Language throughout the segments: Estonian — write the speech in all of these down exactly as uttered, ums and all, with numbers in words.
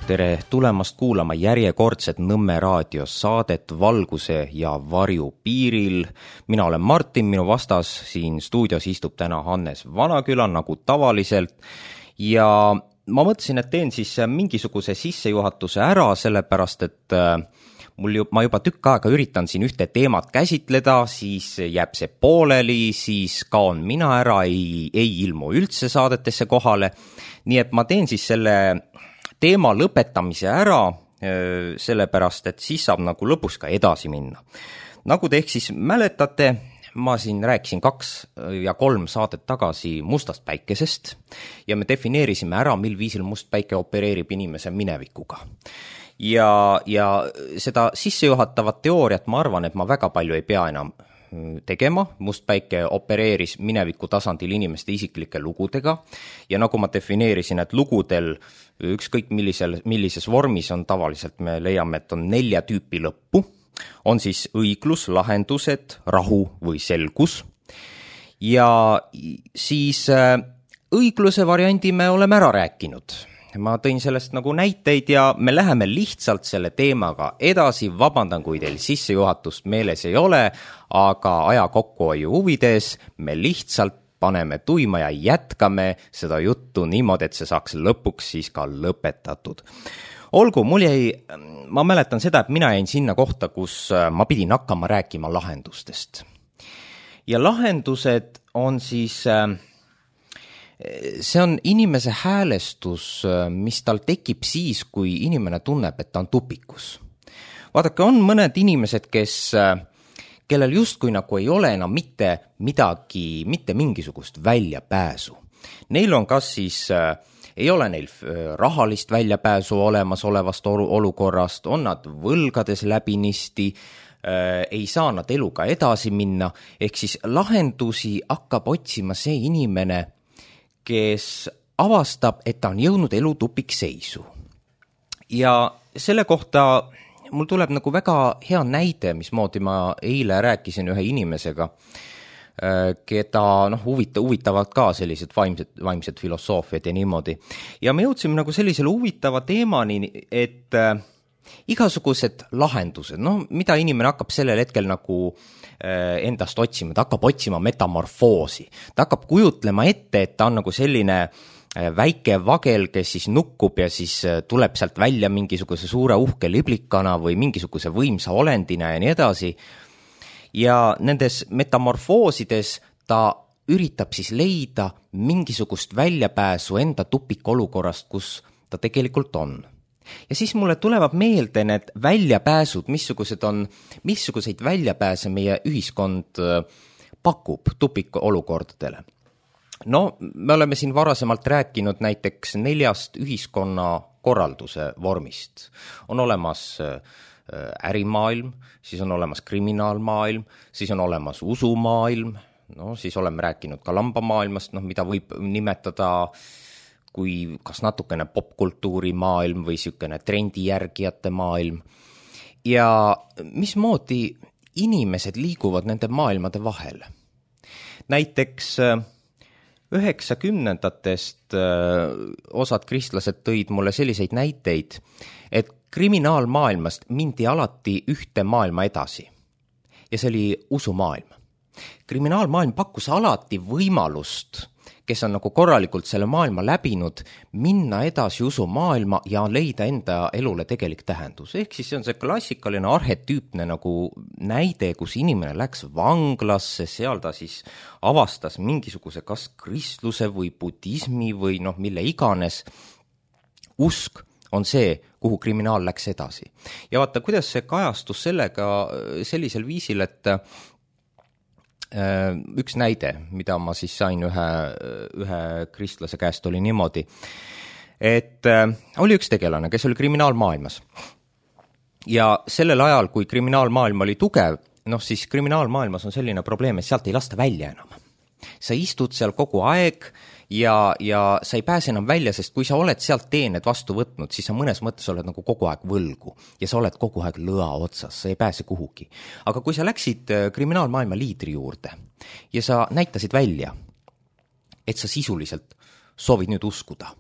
tere tulemast kuulama järjekordset Nõmme raadios saadet Valguse ja varju piiril. Mina olen Martin, minu vastas siin stuudios istub täna Hannes Vanaküla nagu tavaliselt ja ma mõtlesin, et teen siis mingisuguse sissejuhatuse ära, sellepärast et mul ju, ma juba tükk aega üritan siin ühte teemat käsitleda, siis jääb see pooleli, siis kaon mina ära, ei, ei ilmu üldse saadetesse kohale. Nii et ma teen siis selle teema lõpetamise ära, sellepärast et siis saab nagu lõpus ka edasi minna. Nagu te ehk siis mäletate, ma siin rääkisin kaks ja kolm saadet tagasi mustast päikesest ja me defineerisime ära, mil viisil must päike opereerib inimese minevikuga. Ja, ja seda sissejuhatavat teooriat ma arvan, et ma väga palju ei pea enam tegema. Must päike opereeris mineviku tasandil inimeste isiklike lugudega ja nagu ma defineerisin, et lugudel ükskõik millisel, millises vormis on tavaliselt, me leiame, et on nelja tüüpi lõppu. On siis õiglus, lahendused, rahu või selgus. Ja siis õigluse variandi me oleme ära rääkinud. Ma tõin sellest nagu näiteid ja me läheme lihtsalt selle teemaga edasi. Vabandan, kui teil sissejuhatust meeles ei ole, aga aja kokkuhoiu huvides me lihtsalt paneme tuima ja jätkame seda juttu niimoodi, et see saaks lõpuks siis ka lõpetatud. Olgu, mul jäi, ma mäletan seda, et mina jäin sinna kohta, kus ma pidin hakkama rääkima lahendustest. Ja lahendused on siis, see on inimese häälestus, mis tal tekib siis, kui inimene tunneb, et ta on tupikus. Vaadake, on mõned inimesed, kes, kellel justkui nagu ei ole enam mitte midagi, mitte mingisugust väljapääsu. Neil on kas siis ei ole neil rahalist väljapääsu olemas olevast olukorrast, on nad võlgades läbinisti, ei saa nad eluga edasi minna, ehk siis lahendusi hakkab otsima see inimene, kes avastab, et ta on jõudnud elu tupikseisu. Ja selle kohta mul tuleb nagu väga hea näide, mismoodi ma eile rääkisin ühe inimesega, keda noh, huvita, huvitavad ka sellised vaimsed, vaimsed filosoofiad ja niimoodi. Ja me jõudsime nagu sellisele huvitava teemani, et äh, igasugused lahendused, no mida inimene hakkab sellel hetkel nagu äh, endast otsima, ta hakkab otsima metamorfoosi. Ta hakkab kujutlema ette, et ta on nagu selline äh, väike vagel, kes siis nukkub ja siis äh, tuleb sealt välja mingisuguse suure uhke liblikana või mingisuguse võimsa olendina ja nii edasi. Ja nendes metamorfoosides ta üritab siis leida mingisugust väljapääsu enda tupikolukorrast, kus ta tegelikult on. Ja siis mulle tulevad meelde need väljapääsud, missugused on, missuguseid väljapääse meie ühiskond pakub tupikolukordadele. No, me oleme siin varasemalt rääkinud näiteks neljast ühiskonna korralduse vormist. On olemas ärimaailm, siis on olemas kriminaalmaailm, siis on olemas usumaailm, no siis oleme rääkinud ka lambamaailmast, no, mida võib nimetada kui kas natukene popkultuuri maailm või sükene trendijärgijate maailm. Ja mismoodi inimesed liiguvad nende maailmade vahel? Näiteks üheksakümnendatest osad kristlased tõid mulle selliseid näiteid, et kriminaalmaailmast mindi alati ühte maailma edasi ja see oli usumaailm. Kriminaalmaailm pakkus alati võimalust, kes on nagu korralikult selle maailma läbinud, minna edasi usumaailma ja leida enda elule tegelik tähendus. Ehk siis see on see klassikaline arhetüüpne nagu näide, kus inimene läks vanglasse, seal ta siis avastas mingisuguse kas kristluse või budismi või noh, mille iganes. Usk on see, kuhu kriminaal läks edasi. Ja vaata, kuidas see kajastus sellega sellisel viisil, et üks näide, mida ma siis sain ühe, ühe kristlase käest oli niimoodi, et oli üks tegelane, kes oli kriminaalmaailmas. Ja sellel ajal, kui kriminaalmaailm oli tugev, noh siis kriminaalmaailmas on selline probleem, et sealt ei lasta välja enam. Sa istud seal kogu aeg ja, ja sa ei pääse enam välja, sest kui sa oled sealt teened vastu võtnud, siis sa mõnes mõttes oled nagu kogu aeg võlgu ja sa oled kogu aeg lõa otsas, sa ei pääse kuhugi. Aga kui sa läksid kriminaalmaailma liidri juurde ja sa näitasid välja, et sa sisuliselt soovid nüüd uskuda,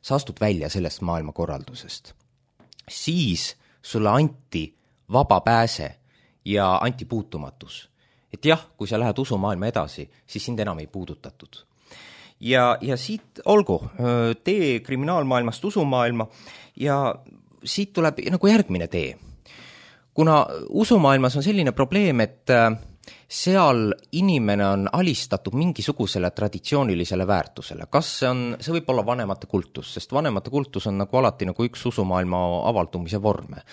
sa astud välja sellest maailmakorraldusest. Siis sulle anti vaba pääse ja anti puutumatus. Et jah, kui sa lähed usumaailma edasi, siis sind enam ei puudutatud. Ja, ja siit olgu, tee kriminaalmaailmast usumaailma ja siit tuleb nagu järgmine tee. Kuna usumaailmas on selline probleem, et seal inimene on alistatud mingisugusele traditsioonilisele väärtusele. Kas see on, see võib olla vanemate kultus, sest vanemate kultus on nagu alati nagu üks usumaailma avaldumise vorme.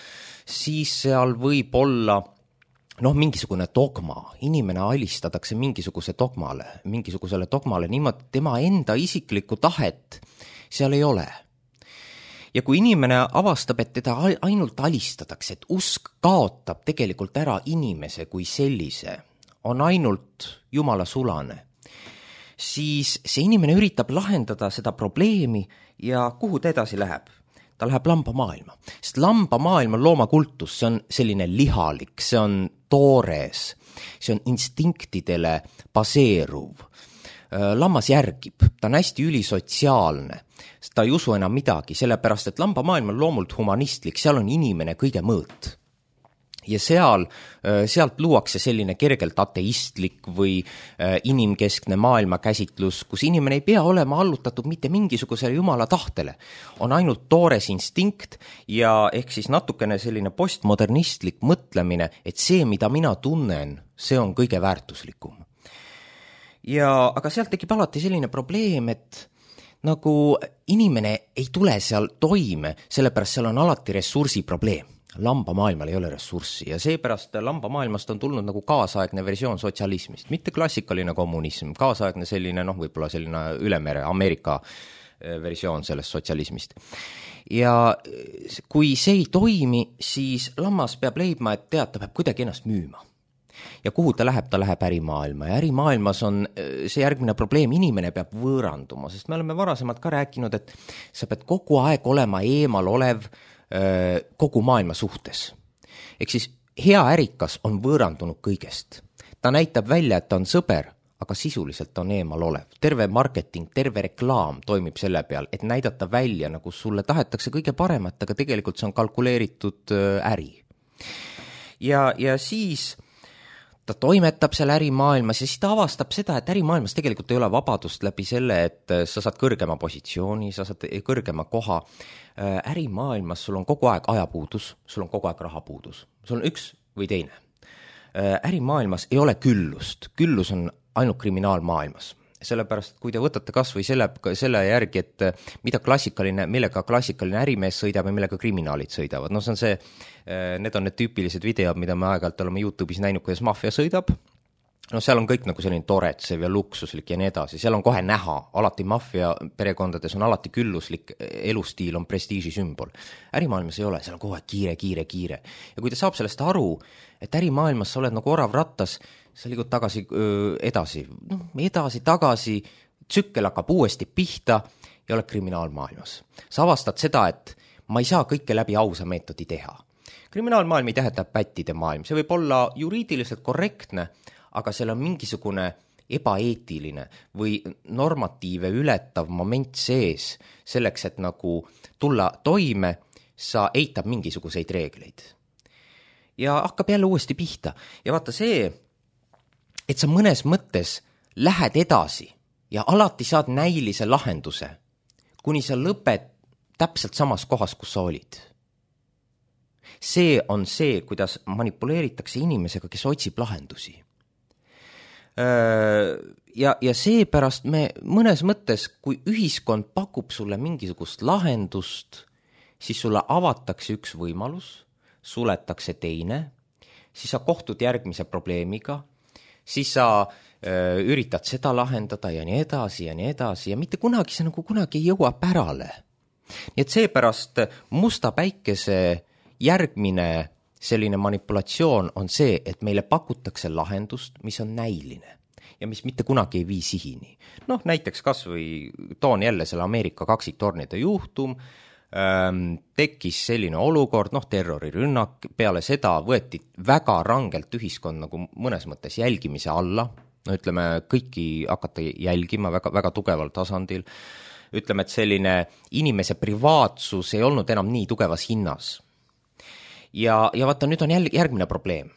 Siis seal võib olla noh, mingisugune dogma, inimene alistatakse mingisuguse dogmale, mingisugusele dogmale niimoodi, tema enda isiklikku tahet seal ei ole. Ja kui inimene avastab, et teda ainult alistatakse, et usk kaotab tegelikult ära inimese kui sellise, on ainult Jumala sulane, siis see inimene üritab lahendada seda probleemi ja kuhu ta edasi läheb? Ta läheb lambamaailma, sest lambamaailm on loomakultus, see on selline lihalik, see on toores, see on instinktidele baseeruv. Lammas järgib, ta on hästi ülisotsiaalne, ta ei usu enam midagi, sellepärast et lambamaailm on loomult humanistlik, seal on inimene kõige mõõt. Ja seal, sealt luuakse selline kergelt ateistlik või inimkeskne maailmakäsitlus, kus inimene ei pea olema allutatud mitte mingisugusele Jumala tahtele. On ainult toores instinkt ja ehk siis natukene selline postmodernistlik mõtlemine, et see, mida mina tunnen, see on kõige väärtuslikum. Ja, aga sealt tekib alati selline probleem, et nagu inimene ei tule seal toime, sellepärast seal on alati ressursi probleem. Lambamaailmal ei ole ressurssi ja seepärast lambamaailmast on tulnud nagu kaasaegne versioon sotsialismist, mitte klassikaline kommunism, kaasaegne selline, noh, võib-olla selline ülemere Ameerika versioon sellest sotsialismist. Ja kui see ei toimi, siis lammas peab leidma, et tead, ta peab kuidagi ennast müüma. Ja kuhu ta läheb, ta läheb ärimaailma ja ärimaailmas on see järgmine probleem, inimene peab võõranduma, sest me oleme varasemalt ka rääkinud, et sa pead kogu aeg olema eemal olev kogu maailma suhtes. Ehk siis hea ärikas on võõrandunud kõigest. Ta näitab välja, et ta on sõber, aga sisuliselt on eemal olev. Terve marketing, terve reklaam toimib selle peal, et näidata välja, nagu sulle tahetakse kõige paremat, aga tegelikult see on kalkuleeritud äri. Ja, ja siis ta toimetab seal ärimaailmas ja siis ta avastab seda, et ärimaailmas tegelikult ei ole vabadust läbi selle, et sa saad kõrgema positsiooni, sa saad kõrgema koha. Ärimaailmas sul on kogu aeg ajapuudus, sul on kogu aeg rahapuudus, sul on üks või teine. Ärimaailmas ei ole küllust, küllus on ainult kriminaalmaailmas. Sellepärast, kui te võtate kas või selle, selle järgi, et mida klassikaline, millega klassikaline ärimees sõidab ja millega kriminaalid sõidavad. No see on see, need on need tüüpilised videod, mida me aeg-ajalt oleme YouTube'is näinud, kuidas maffia sõidab. No seal on kõik nagu selline toretsev ja luksuslik ja nii edasi. Seal on kohe näha, alati maffia perekondades on alati külluslik, elustiil on prestiiži sümbol. Ärimaailmas ei ole, seal on kogu aeg kiire, kiire, kiire. Ja kui te saab sellest aru, et ärimaailmas sa oled nagu orav rattas, sa liigud tagasi öö, edasi, no, edasi, tagasi, tsükkel hakkab uuesti pihta ja oled kriminaalmaailmas. Sa avastad seda, et ma ei saa kõike läbi ausa meetodi teha. Kriminaalmaailm ei tähenda pättide maailm, see võib olla juriidiliselt korrektne, aga seal on mingisugune ebaeetiline või normatiive ületav moment sees selleks, et nagu tulla toime, sa eitab mingisuguseid reegleid. Ja hakkab jälle uuesti pihta. Ja vaata see, et sa mõnes mõttes lähed edasi ja alati saad näilise lahenduse, kuni sa lõped täpselt samas kohas, kus sa olid. See on see, kuidas manipuleeritakse inimesega, kes otsib lahendusi. Ja, ja seepärast me mõnes mõttes, kui ühiskond pakub sulle mingisugust lahendust, siis sulle avatakse üks võimalus, suletakse teine, siis sa kohtud järgmise probleemiga, siis sa öö, üritad seda lahendada ja nii edasi ja nii edasi ja mitte kunagi see nagu kunagi ei jõua pärale. Nii et seepärast musta päikese järgmine selline manipulatsioon on see, et meile pakutakse lahendust, mis on näiline ja mis mitte kunagi ei vii sihini. Noh, näiteks kas või toon jälle selle Ameerika kaksiktornide juhtum, ähm, tekkis selline olukord, noh, terrorirünnak, peale seda võeti väga rangelt ühiskond nagu mõnes mõttes jälgimise alla, no ütleme, kõiki hakata jälgima väga, väga tugeval tasandil. ütleme, et selline inimese privaatsus ei olnud enam nii tugevas hinnas. Ja, ja vaata, nüüd on jäl- järgmine probleem.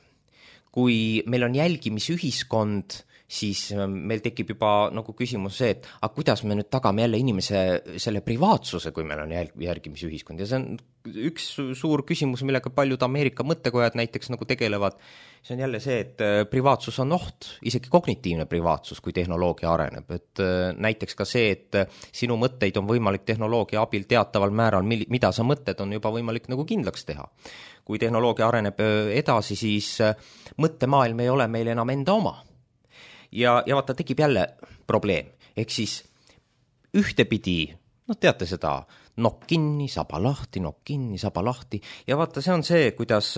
Kui meil on jälgimisühiskond, siis meil tekib juba nagu küsimus see, et aga kuidas me nüüd tagame jälle inimese selle privaatsuse, kui meil on jälg- järgimisühiskond. Ja see on üks suur küsimus, millega paljud Ameerika mõttekojad näiteks nagu tegelevad. See on jälle see, et privaatsus on oht, isegi kognitiivne privaatsus, kui tehnoloogia areneb. Et näiteks ka see, et sinu mõtteid on võimalik tehnoloogia abil teataval määral, mida sa mõtted, on juba võimalik nagu kindlaks teha. Kui tehnoloogia areneb edasi, siis mõttemaailm ei ole meil enam enda oma. Ja, ja vaata, tekib jälle probleem. Ehk siis ühtepidi, no teate seda, nokk kinni, saba lahti, nokk kinni, saba lahti. Ja vaata, see on see, kuidas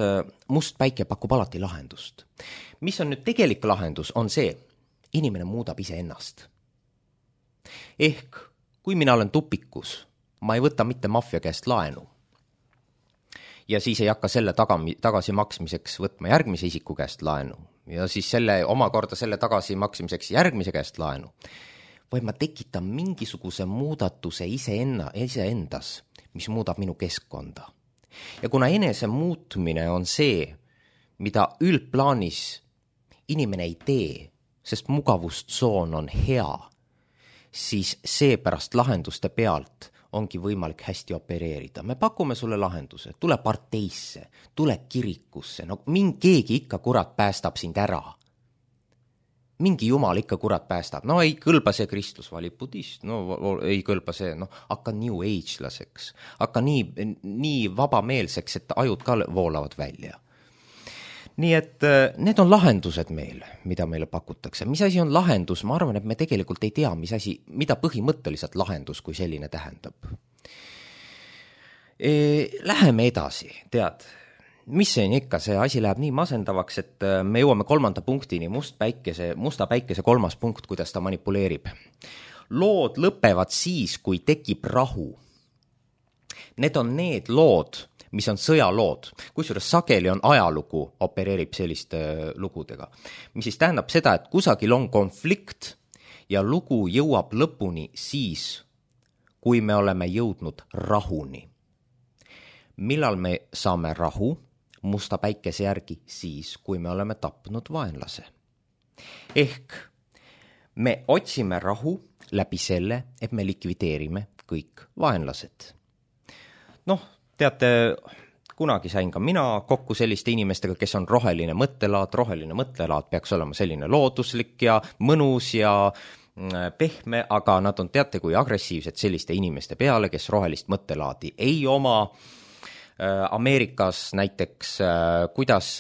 must päike pakub alati lahendust. Mis on nüüd tegelik lahendus, on see, inimene muudab ise ennast. Ehk, kui mina olen tupikus, ma ei võta mitte maffia käest laenu. Ja siis ei hakka selle tagasi maksmiseks võtma järgmise isiku käest laenu. Ja siis selle omakorda selle tagasi maksmiseks järgmise käest laenu. Või ma tekitan mingisuguse muudatuse iseenna, iseendas, mis muudab minu keskkonda. Ja kuna enese muutmine on see, mida üldplaanis inimene ei tee, sest mugavustsoon on hea, siis see pärast lahenduste pealt ongi võimalik hästi opereerida. Me pakume sulle lahenduse, tule parteisse, tule kirikusse, no mingi keegi ikka kurat päästab sind ära. Mingi jumal ikka kurat päästab, no ei kõlba see Kristus valib budist, no ei kõlba see, no hakka new age-laseks, hakka nii, nii vabameelseks, et ajud ka voolavad välja. Nii et need on lahendused meil, mida meile pakutakse. Mis asi on lahendus? Ma arvan, et me tegelikult ei tea, mis asi, mida põhimõtteliselt lahendus kui selline tähendab. E, läheme edasi, tead, mis see on ikka, see asi läheb nii masendavaks, et me jõuame kolmanda punktini, must päikese, musta päikese kolmas punkt, kuidas ta manipuleerib. Lood lõpevad siis, kui tekib rahu. Need on need lood, mis on sõjalood, kusjuures sageli on ajalugu, opereerib selliste lugudega. Mis siis tähendab seda, et kusagil on konflikt ja lugu jõuab lõpuni siis, kui me oleme jõudnud rahuni. Millal me saame rahu musta päikese järgi? Siis, kui me oleme tapnud vaenlase. Ehk me otsime rahu läbi selle, et me likvideerime kõik vaenlased. Noh, teate, kunagi sain ka mina kokku selliste inimestega, kes on roheline mõttelaad. Roheline mõttelaad peaks olema selline looduslik ja mõnus ja pehme, aga nad on, teate, kui agressiivsed selliste inimeste peale, kes rohelist mõttelaadi ei oma. Ameerikas näiteks, kuidas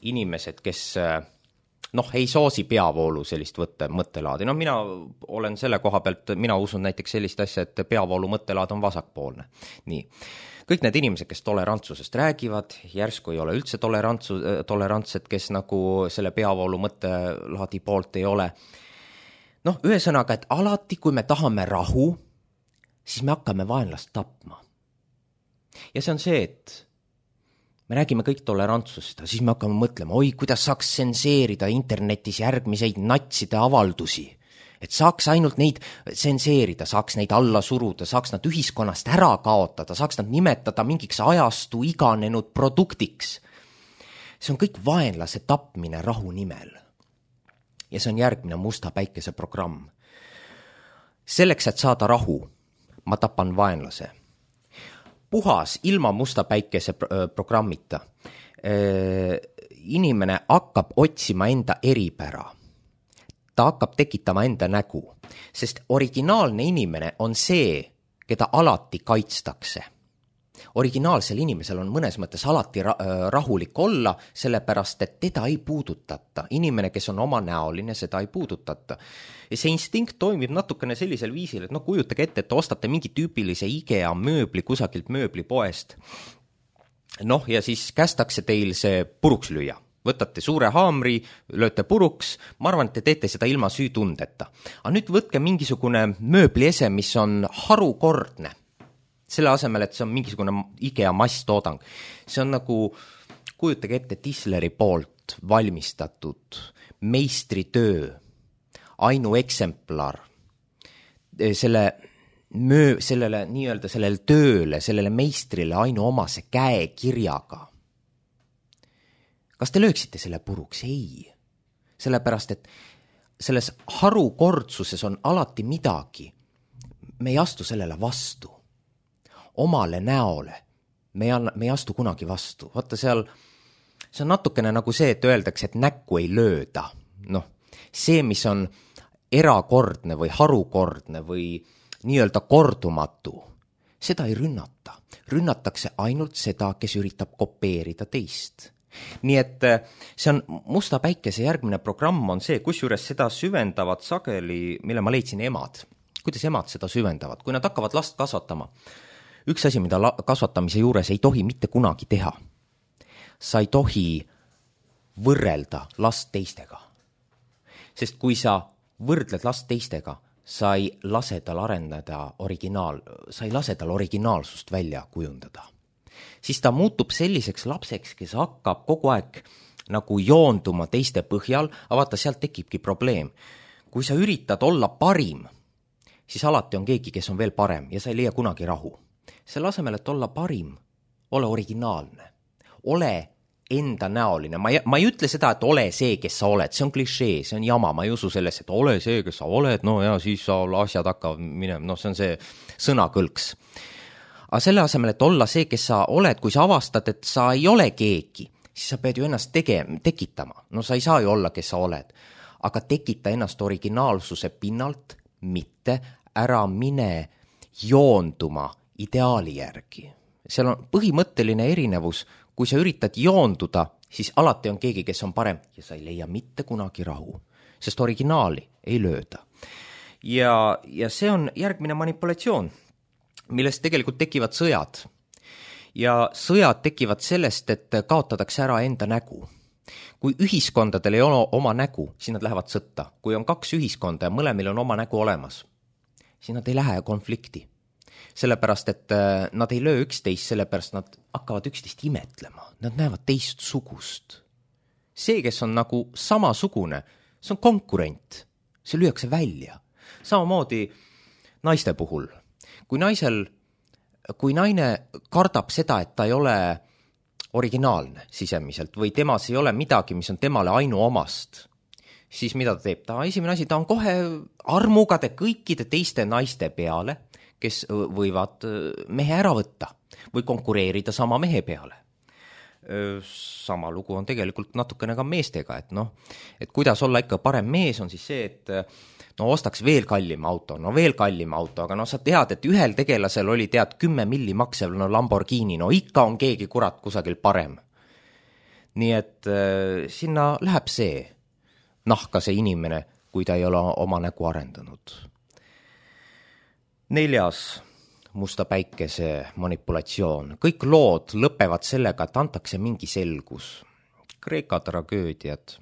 inimesed, kes noh, ei soosi peavoolu sellist võtte, mõttelaadi. No mina olen selle koha pealt, mina usun näiteks sellist asja, et peavoolu mõttelaad on vasakpoolne. Nii. Kõik need inimesed, kes tolerantsusest räägivad, järsku ei ole üldse tolerantsu, tolerantsed, kes nagu selle peavoolu mõttelaadi poolt ei ole. Noh, ühesõnaga, et alati, kui me tahame rahu, siis me hakkame vaenlast tapma. Ja see on see, et me räägime kõik tolerantsust, siis me hakkame mõtlema, oi, kuidas saaks senseerida internetis järgmiseid natside avaldusi. Et saaks ainult neid senseerida, saaks neid alla suruda, saaks nad ühiskonnast ära kaotada, saaks nad nimetada mingiks ajastu iganenud produktiks. See on kõik vaenlase tapmine rahu nimel. Ja see on järgmine musta päikese programm. Selleks, et saada rahu, ma tapan vaenlase. Puhas, ilma musta päikese programmita. Inimene hakkab otsima enda eripära. Ta hakkab tekitama enda nägu, sest originaalne inimene on see, keda alati kaitstakse. Originaalsel inimesel on mõnes mõttes alati rahulik olla, sellepärast, et teda ei puudutata. Inimene, kes on oma näoline, seda ei puudutata. Ja see instinkt toimib natukene sellisel viisil, et no kujutage ette, et te ostate mingi tüüpilise IKEA mööbli kusagilt mööblipoest. Noh, ja siis kästakse teil see puruks lüüa. Võtate suure haamri, lööte puruks, ma arvan, et te teete seda ilma süütundeta. Aga nüüd võtke mingisugune mööbliese, mis on harukordne. Selle asemel, et see on mingisugune IKEA masstoodang. See on nagu, kujutage ette, Tisleri poolt valmistatud meistritöö, ainueksemplar. selle möö, sellele nii-öelda sellele tööle, sellele meistrile ainuomase käekirjaga. Kas te lööksite selle puruks? Ei. Sellepärast, et selles harukordsuses on alati midagi. Me ei astu sellele vastu. Omale näole. Me ei, anna, me ei astu kunagi vastu. Vaata seal, see on natukene nagu see, et öeldakse, et näkku ei lööda. Noh, see, mis on erakordne või harukordne või nii-öelda kordumatu, seda ei rünnata. Rünnatakse ainult seda, kes üritab kopeerida teist. Nii et see on Musta päikese järgmine programm on see, kusjuures seda süvendavad sageli, mille ma leidsin emad. Kuidas emad seda süvendavad? Kui nad hakkavad last kasvatama, üks asi, mida kasvatamise juures ei tohi mitte kunagi teha. Sa ei tohi võrrelda last teistega. Sest kui sa võrdled last teistega, sa ei lase tal arendada originaal, sa ei lase tal originaalsust välja kujundada. Siis ta muutub selliseks lapseks, kes hakkab kogu aeg nagu joonduma teiste põhjal, aga vaata, sealt tekibki probleem. Kui sa üritad olla parim, siis alati on keegi, kes on veel parem ja sa ei leia kunagi rahu. Selle asemel, et olla parim, ole originaalne, ole enda näoline. Ma ei, ma ei ütle seda, et ole see, kes sa oled, see on klišee, see on jama, ma ei usu selles, et ole see, kes sa oled, no ja siis sa asjad hakkavad minema, no see on see sõnakõlks. Aga selle asemel, et olla see, kes sa oled, kui sa avastad, et sa ei ole keegi, siis sa pead ju ennast tege- tekitama. No sa ei saa ju olla, kes sa oled. Aga tekita ennast originaalsuse pinnalt, mitte ära mine joonduma ideaali järgi. Seal on põhimõtteline erinevus. Kui sa üritad joonduda, siis alati on keegi, kes on parem ja sa ei leia mitte kunagi rahu, sest originaali ei lööda. Ja, ja see on järgmine manipulatsioon, millest tegelikult tekivad sõjad. Ja sõjad tekivad sellest, et kaotatakse ära enda nägu. Kui ühiskondadel ei ole oma nägu, siis nad lähevad sõtta. Kui on kaks ühiskonda ja mõlemil on oma nägu olemas, siis nad ei lähe konflikti. Sellepärast, et nad ei löö üksteist, sellepärast nad hakkavad üksteist imetlema. Nad näevad teist sugust. See, kes on nagu samasugune, see on konkurent. See lüüakse välja. Samamoodi naiste puhul. Kui naisel, kui naine kardab seda, et ta ei ole originaalne sisemiselt või temas ei ole midagi, mis on temale ainuomast, siis mida ta teeb? Ta esimene asi, ta on kohe armugade kõikide teiste naiste peale, kes võivad mehe ära võtta või konkureerida sama mehe peale. Sama lugu on tegelikult natukene ka meestega, et noh, et kuidas olla ikka parem mees on siis see, et no ostaks veel kallim auto, no veel kallim auto, aga no sa tead, et ühel tegelasel oli tead kümme milli maksev no Lamborghini, no ikka on keegi kurat kusagil parem. Nii et äh, sinna läheb see nahka see inimene, kui ta ei ole oma nägu arendanud. Neljas Musta päikese manipulatsioon. Kõik lood lõpevad sellega, et antakse mingi selgus. Kreeka tragöödiad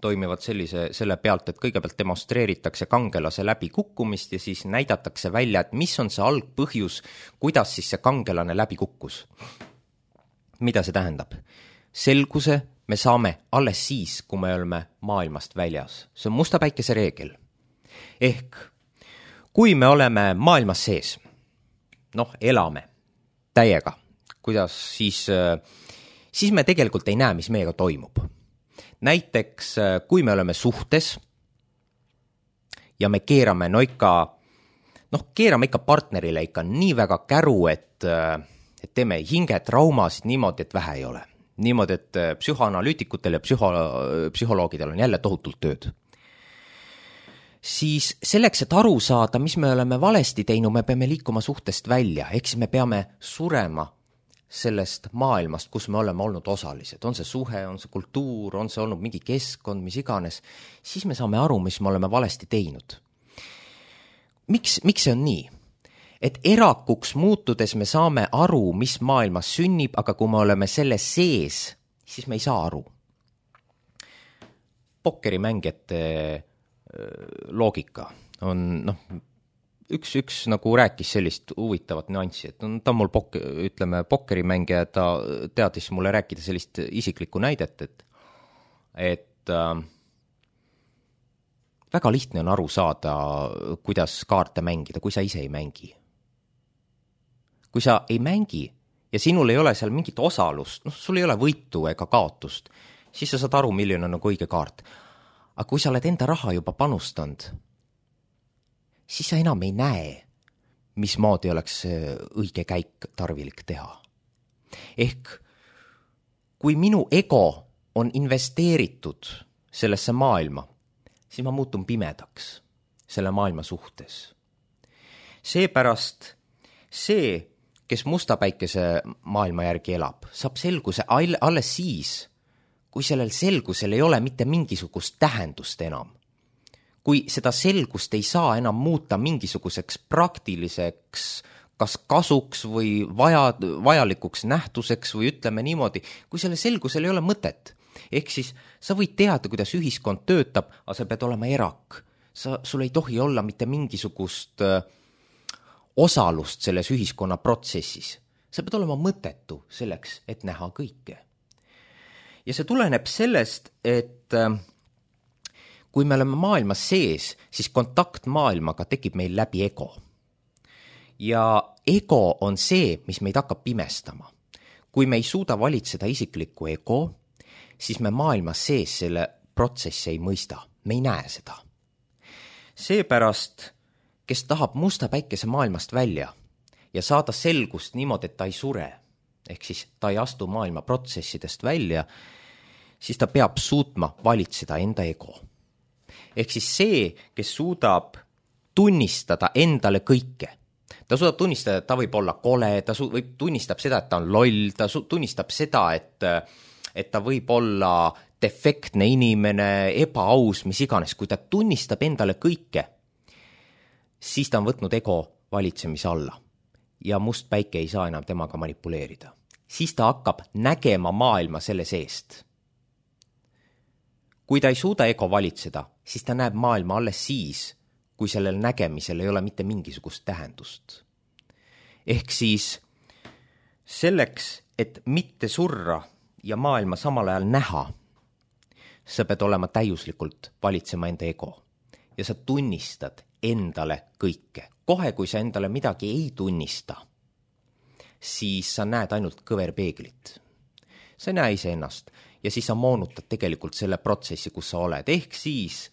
toimivad sellise, selle pealt, et kõigepealt demonstreeritakse kangelase läbi kukkumist ja siis näidatakse välja, et mis on see algpõhjus, kuidas siis see kangelane läbi kukkus. Mida see tähendab? Selguse me saame alles siis, kui me oleme maailmast väljas. See on Musta päikese reegel. Ehk kui me oleme maailmas sees, noh, elame täiega, kuidas siis, siis me tegelikult ei näe, mis meiega toimub. Näiteks, kui me oleme suhtes ja me keerame, no ikka, noh, keerame ikka partnerile ikka nii väga käru, et, et teeme hingetraumasid niimoodi, et vähe ei ole. Niimoodi, et psühhoanalüütikutel ja psühho, psühholoogidel on jälle tohutult tööd. Siis selleks, et aru saada, mis me oleme valesti teinud, me peame liikuma suhtest välja, ehk siis me peame surema sellest maailmast, kus me oleme olnud osalised. On see suhe, on see kultuur, on see olnud mingi keskkond, mis iganes. Siis me saame aru, mis me oleme valesti teinud. Miks, miks see on nii? Et erakuks muutudes me saame aru, mis maailmas sünnib, aga kui me oleme selle sees, siis me ei saa aru. Pokkerimängijate loogika on, noh, üks, üks nagu rääkis sellist huvitavat nüanssi, et ta on mul pok, ütleme, pokkerimängija, ta teadis mulle rääkida sellist isiklikku näidet, et, et äh, väga lihtne on aru saada, kuidas kaarte mängida, kui sa ise ei mängi. Kui sa ei mängi ja sinul ei ole seal mingit osalust, noh, sul ei ole võitu ega kaotust, siis sa saad aru, milline on nagu õige kaart. Aga kui sa oled enda raha juba panustanud, siis sa enam ei näe, mismoodi oleks õige käik tarvilik teha. Ehk kui minu ego on investeeritud sellesse maailma, siis ma muutun pimedaks selle maailma suhtes. Seepärast see, kes musta päikese maailma järgi elab, saab selguse alles siis, kui sellel selgusel ei ole mitte mingisugust tähendust enam. Kui seda selgust ei saa enam muuta mingisuguseks praktiliseks, kas kasuks või vaja, vajalikuks nähtuseks või ütleme niimoodi, kui selle selgusel ei ole mõtet. Ehk siis sa võid teada, kuidas ühiskond töötab, aga sa pead olema erak. Sa, sul ei tohi olla mitte mingisugust äh, osalust selles ühiskonna protsessis. Sa pead olema mõttetu selleks, et näha kõike. Ja see tuleneb sellest, et äh, kui me oleme maailmas sees, siis kontakt maailmaga tekib meil läbi ego. Ja ego on see, mis meid hakkab pimestama. Kui me ei suuda valitseda isiklikku ego, siis me maailmas sees selle protsessi ei mõista. Me ei näe seda. Seepärast, kes tahab musta päikese maailmast välja ja saada selgust niimoodi, et ta ei sure, ehk siis ta ei astu maailma protsessidest välja, siis ta peab suutma valitseda enda ego. Ehk siis see, kes suudab tunnistada endale kõike, ta suudab tunnistada, et ta võib olla kole, ta su- võib tunnistab seda, et ta on loll, ta su- tunnistab seda, et et ta võib olla defektne inimene, ebaaus, mis iganes. Kui ta tunnistab endale kõike, siis ta on võtnud ego valitsemise alla ja must päike ei saa enam temaga manipuleerida. Siis ta hakkab nägema maailma selle seest. Kui ta ei suuda ego valitseda, siis ta näeb maailma alles siis, kui sellel nägemisel ei ole mitte mingisugust tähendust. Ehk siis selleks, et mitte surra ja maailma samal ajal näha, sa pead olema täiuslikult valitsema enda ego ja sa tunnistad endale kõike. Kohe, kui sa endale midagi ei tunnista, siis sa näed ainult kõverpeeglit. Sa ei näe ise ennast ja siis sa moonutad tegelikult selle protsessi, kus sa oled. Ehk siis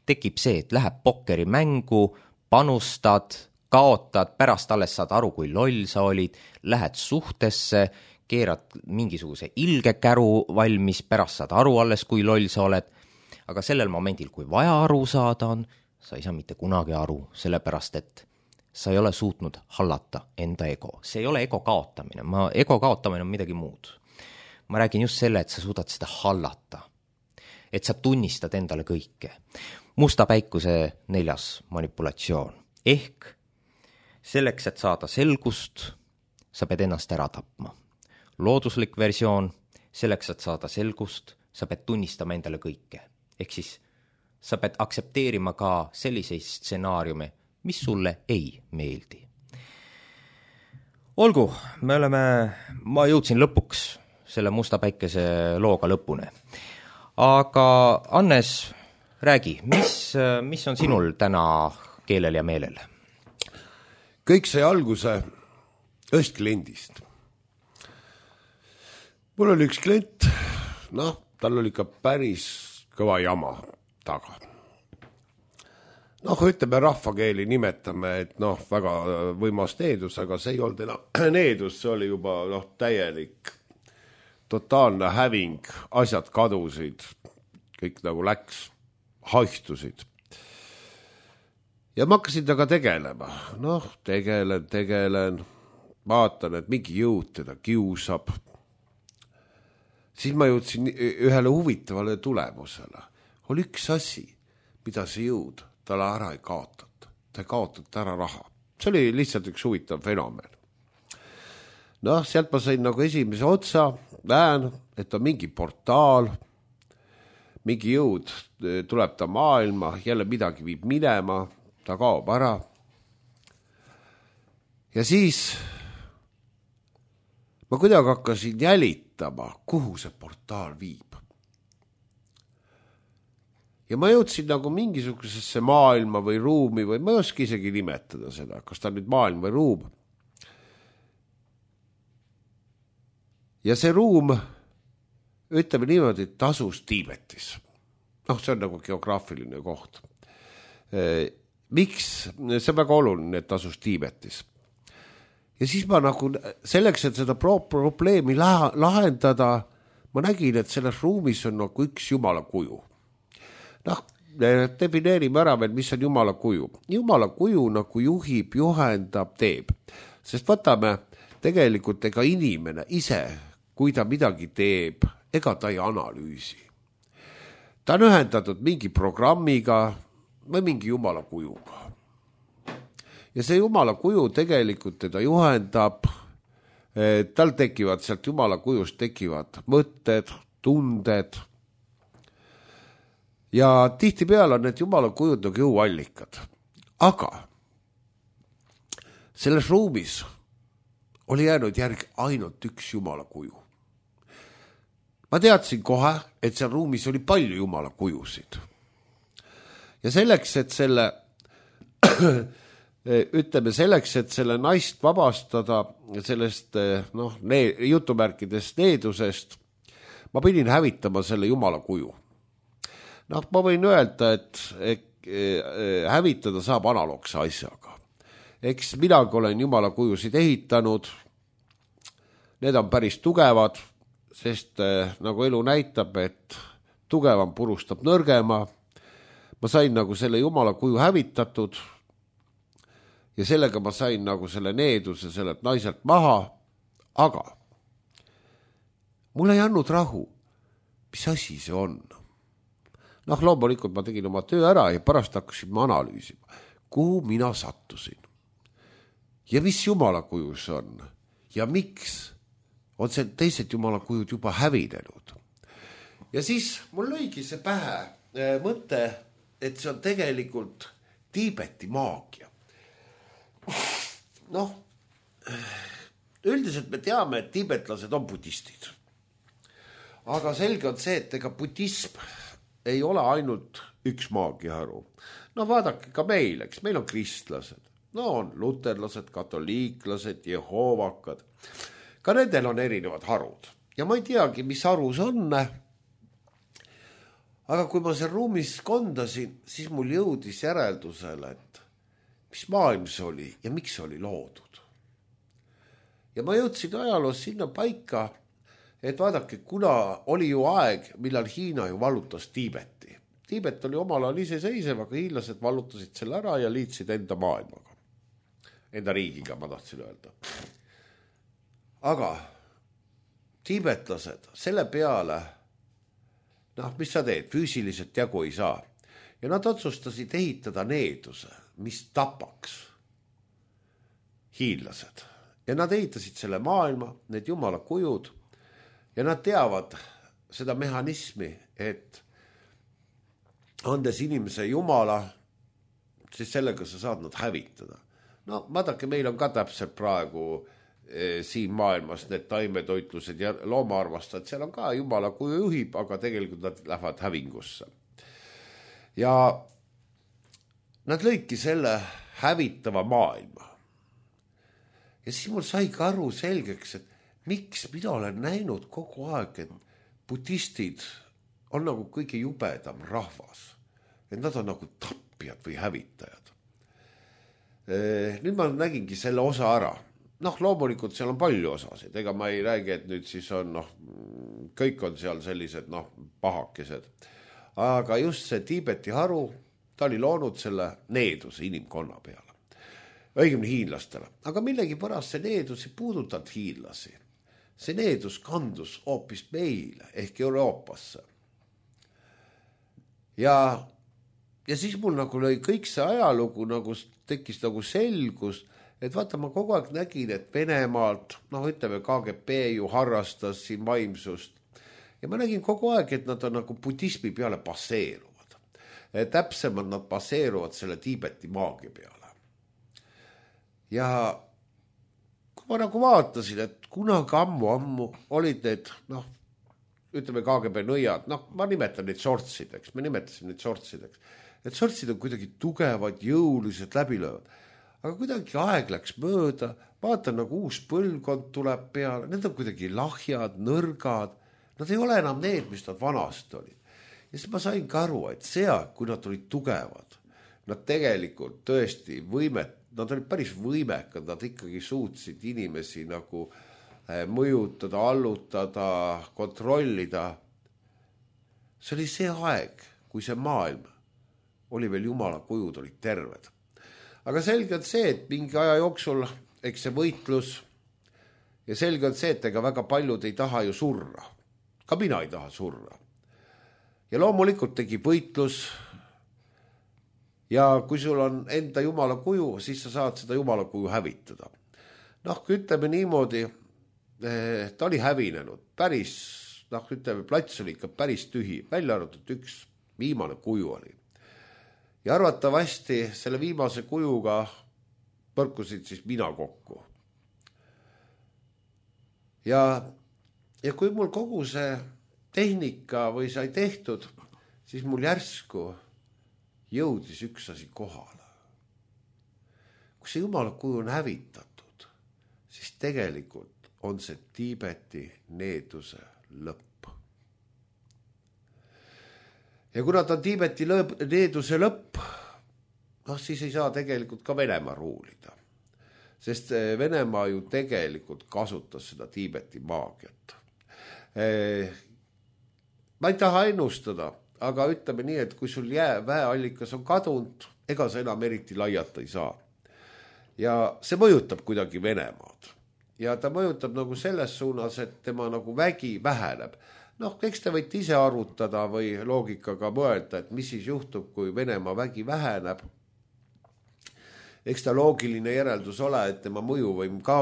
tekib see, et läheb pokkeri mängu, panustad, kaotad, pärast alles saad aru, kui loll sa olid, lähed suhtesse, keerad mingisuguse ilge käru valmis, pärast saad aru alles, kui loll sa oled. Aga sellel momendil, kui vaja aru saada on, sa ei saa mitte kunagi aru, sellepärast et sa ei ole suutnud hallata enda ego. See ei ole ego kaotamine. Ma, ego kaotamine on midagi muud. Ma räägin just selle, et sa suudad seda hallata. Et sa tunnistad endale kõike. Musta päikuse neljas manipulatsioon. Ehk selleks, et saada selgust, sa pead ennast ära tapma. Looduslik versioon, selleks, et saada selgust, sa pead tunnistama endale kõike. Ehk siis sa pead aksepteerima ka selliseid stsenaariume, mis sulle ei meeldi. Olgu, me oleme, ma jõudsin lõpuks selle musta päikese looga lõpune. Aga Annes, räägi, mis, mis on sinul täna keelel ja meelel? Kõik sai alguse ühest kliendist. Mul oli üks klient, noh, tal oli ikka päris kõva jama taga. Noh, ütleme rahvakeeli nimetame, et noh, väga võimas needus, aga see ei olnud enam needus, see oli juba noh, täielik, totaalne häving, asjad kadusid, kõik nagu läks, haihtusid. Ja ma hakkasin taga tegelema, noh, tegelen, tegelen, vaatan, et mingi jõud teda kiusab. Siis ma jõudsin ühele huvitavale tulemusele. Oli üks asi, mida see jõud talle ära ei kaotat. Ta ei kaotat ära raha. See oli lihtsalt üks huvitav fenomen. Noh, sealt ma sain nagu esimese otsa, näen, et on mingi portaal, mingi jõud tuleb ta maailma, jälle midagi viib minema, ta kaob ära. Ja siis ma kuidagi hakkasin jälitama, kuhu see portaal viib. ja ma jõudsin nagu mingisugusesse maailma või ruumi või ma ei oska isegi nimetada seda, kas ta on nüüd maailm või ruum. Ja see ruum, ütleme niimoodi, tasus Tiibetis. Noh, see on nagu geograafiline koht. Miks? See on väga oluline, et tasus Tiibetis. Ja siis ma nagu selleks, et seda probleemi lahendada, ma nägin, et selles ruumis on nagu üks jumala kuju. Noh, defineerime ära veel, mis on jumala kuju. Jumala kuju nagu juhib, juhendab, teeb. Sest võtame tegelikult ega inimene ise, kui ta midagi teeb, ega ta ei analüüsi. Ta on ühendatud mingi programmiga või mingi jumala kujuga. Ja see jumala kuju tegelikult teda juhendab, tal tekivad sealt jumala kujust tekivad mõtted, tunded. Ja tihtipeale on need jumala kujud nagu jõuallikad. Aga selles ruumis oli jäänud järg ainult üks jumala kuju. Ma teadsin kohe, et seal ruumis oli palju jumala kujusid. Ja selleks, et selle, ütleme selleks, et selle naist vabastada sellest, noh, ne- jutumärkidest needusest, ma pidin hävitama selle jumala kuju. Noh, ma võin öelda, et, et hävitada saab analoogse asjaga. Eks midagi olen jumala kujusid ehitanud, need on päris tugevad, sest eh, nagu elu näitab, et tugevam purustab nõrgema. Ma sain nagu selle jumala kuju hävitatud ja sellega ma sain nagu selle needuse sellelt naiselt maha, aga mul ei andnud rahu. Mis asi see on? Noh, loomulikult ma tegin oma töö ära ja pärast hakkasin ma analüüsima, kuhu mina sattusin ja mis jumala kuju see on ja miks on see teised jumala kujud juba hävinenud. Ja siis mul lõigi see pähe äh, mõte, et see on tegelikult Tiibeti maagia. Noh, üldiselt me teame, et tiibetlased on budistid. Aga selge on see, et ega budism ei ole ainult üks maagiaharu. No vaadake ka meil, eks meil on kristlased. No on luterlased, katoliiklased, jehoovakad. Ka nendel on erinevad harud. Ja ma ei teagi, mis harus on. Aga kui ma seal ruumis kondasin, siis mul jõudis järeldusele, et mis maailm see oli ja miks see oli loodud. Ja ma jõudsin ajaloos sinna paika, et vaadake, kuna oli ju aeg, millal Hiina ju vallutas Tiibeti. Tiibet oli omal ajal iseseisev, aga hiinlased vallutasid selle ära ja liitsid enda maailmaga. Enda riigiga, ma tahtsin öelda. Aga tiibetlased selle peale, noh, mis sa teed, füüsiliselt jagu ei saa. Ja nad otsustasid ehitada needuse, mis tapaks hiinlased. Ja nad ehitasid selle maailma, need jumala kujud, ja nad teavad seda mehhanismi, et andes inimese jumala, siis sellega sa saad nad hävitada. No vaadake, meil on ka täpselt praegu e, siin maailmas need taimetoitlused ja loomaarmastajad, seal on ka jumala kuju juhib, aga tegelikult nad lähevad hävingusse. Ja nad lõidki selle hävitava maailma. Ja siis mul sai ka aru selgeks, et miks mina olen näinud kogu aeg, et budistid on nagu kõige jubedam rahvas. Et nad on nagu tappijad või hävitajad. Nüüd ma nägingi selle osa ära. Noh, loomulikult seal on palju osasid. Ega ma ei räägi, et nüüd siis on, noh, kõik on seal sellised, noh, pahakesed. Aga just see Tiibeti haru, ta oli loonud selle needuse inimkonna peale. Õigemini hiinlastele. Aga millegi pärast see needus ei puudutanud hiinlasi. See needus kandus hoopis meile ehk Euroopasse. Ja, ja siis mul nagu lõi kõik see ajalugu nagu tekkis nagu selgus, et vaata, ma kogu aeg nägin, et Venemaalt, noh, ütleme, K G B ju harrastas siin vaimsust. Ja ma nägin kogu aeg, et nad on nagu budismi peale baseeruvad. Täpsemalt nad baseeruvad selle Tiibeti maagia peale. Ja kui ma nagu vaatasin, et kunagi ammu-ammu olid need, noh, ütleme K G B nõiad, noh, ma nimetan neid sortsideks, me nimetasime neid sortsideks. Et sortsid on kuidagi tugevad, jõulised, läbilöövad. Aga kuidagi aeg läks mööda, vaatan nagu uus põlvkond tuleb peale, need on kuidagi lahjad, nõrgad, nad ei ole enam need, mis nad vanast olid. Ja siis ma sain ka aru, et see aeg, kui nad olid tugevad, nad tegelikult tõesti võimet, nad olid päris võimekad, nad ikkagi suutsid inimesi nagu mõjutada, allutada, kontrollida. See oli see aeg, kui see maailm oli veel jumala kujud, olid terved. Aga selge on see, et mingi aja jooksul, eks see võitlus, ja selge on see, et ega väga paljud ei taha ju surra. Ka mina ei taha surra. Ja loomulikult tegi võitlus, ja kui sul on enda jumala kuju, siis sa saad seda jumala kuju hävitada. Noh, ütleme niimoodi, ta oli hävinenud, päris, noh, ütleme, plats oli ikka päris tühi, välja arvatud üks viimane kuju oli. Ja arvatavasti selle viimase kujuga põrkusid siis mina kokku. Ja, ja kui mul kogu see tehnika või sai tehtud, siis mul järsku jõudis üks asi kohale. Kui see jumala kuju on hävitatud, siis tegelikult on see Tiibeti needuse lõpp. Ja kuna ta on Tiibeti lõp, needuse lõpp, noh siis ei saa tegelikult ka Venemaa ruulida. Sest Venemaa ju tegelikult kasutas seda Tiibeti maagiat. Ma ei taha ennustada, aga ütleme nii, et kui sul jää väeallikas on kadunud, ega sa enam eriti laiata ei saa. Ja see mõjutab kuidagi Venemaad. Ja ta mõjutab nagu selles suunas, et tema nagu vägi väheneb. Noh, eks te võite ise arvutada või loogikaga mõelda, et mis siis juhtub, kui Venemaa vägi väheneb. Eks ta loogiline järeldus ole, et tema mõjuvõim ka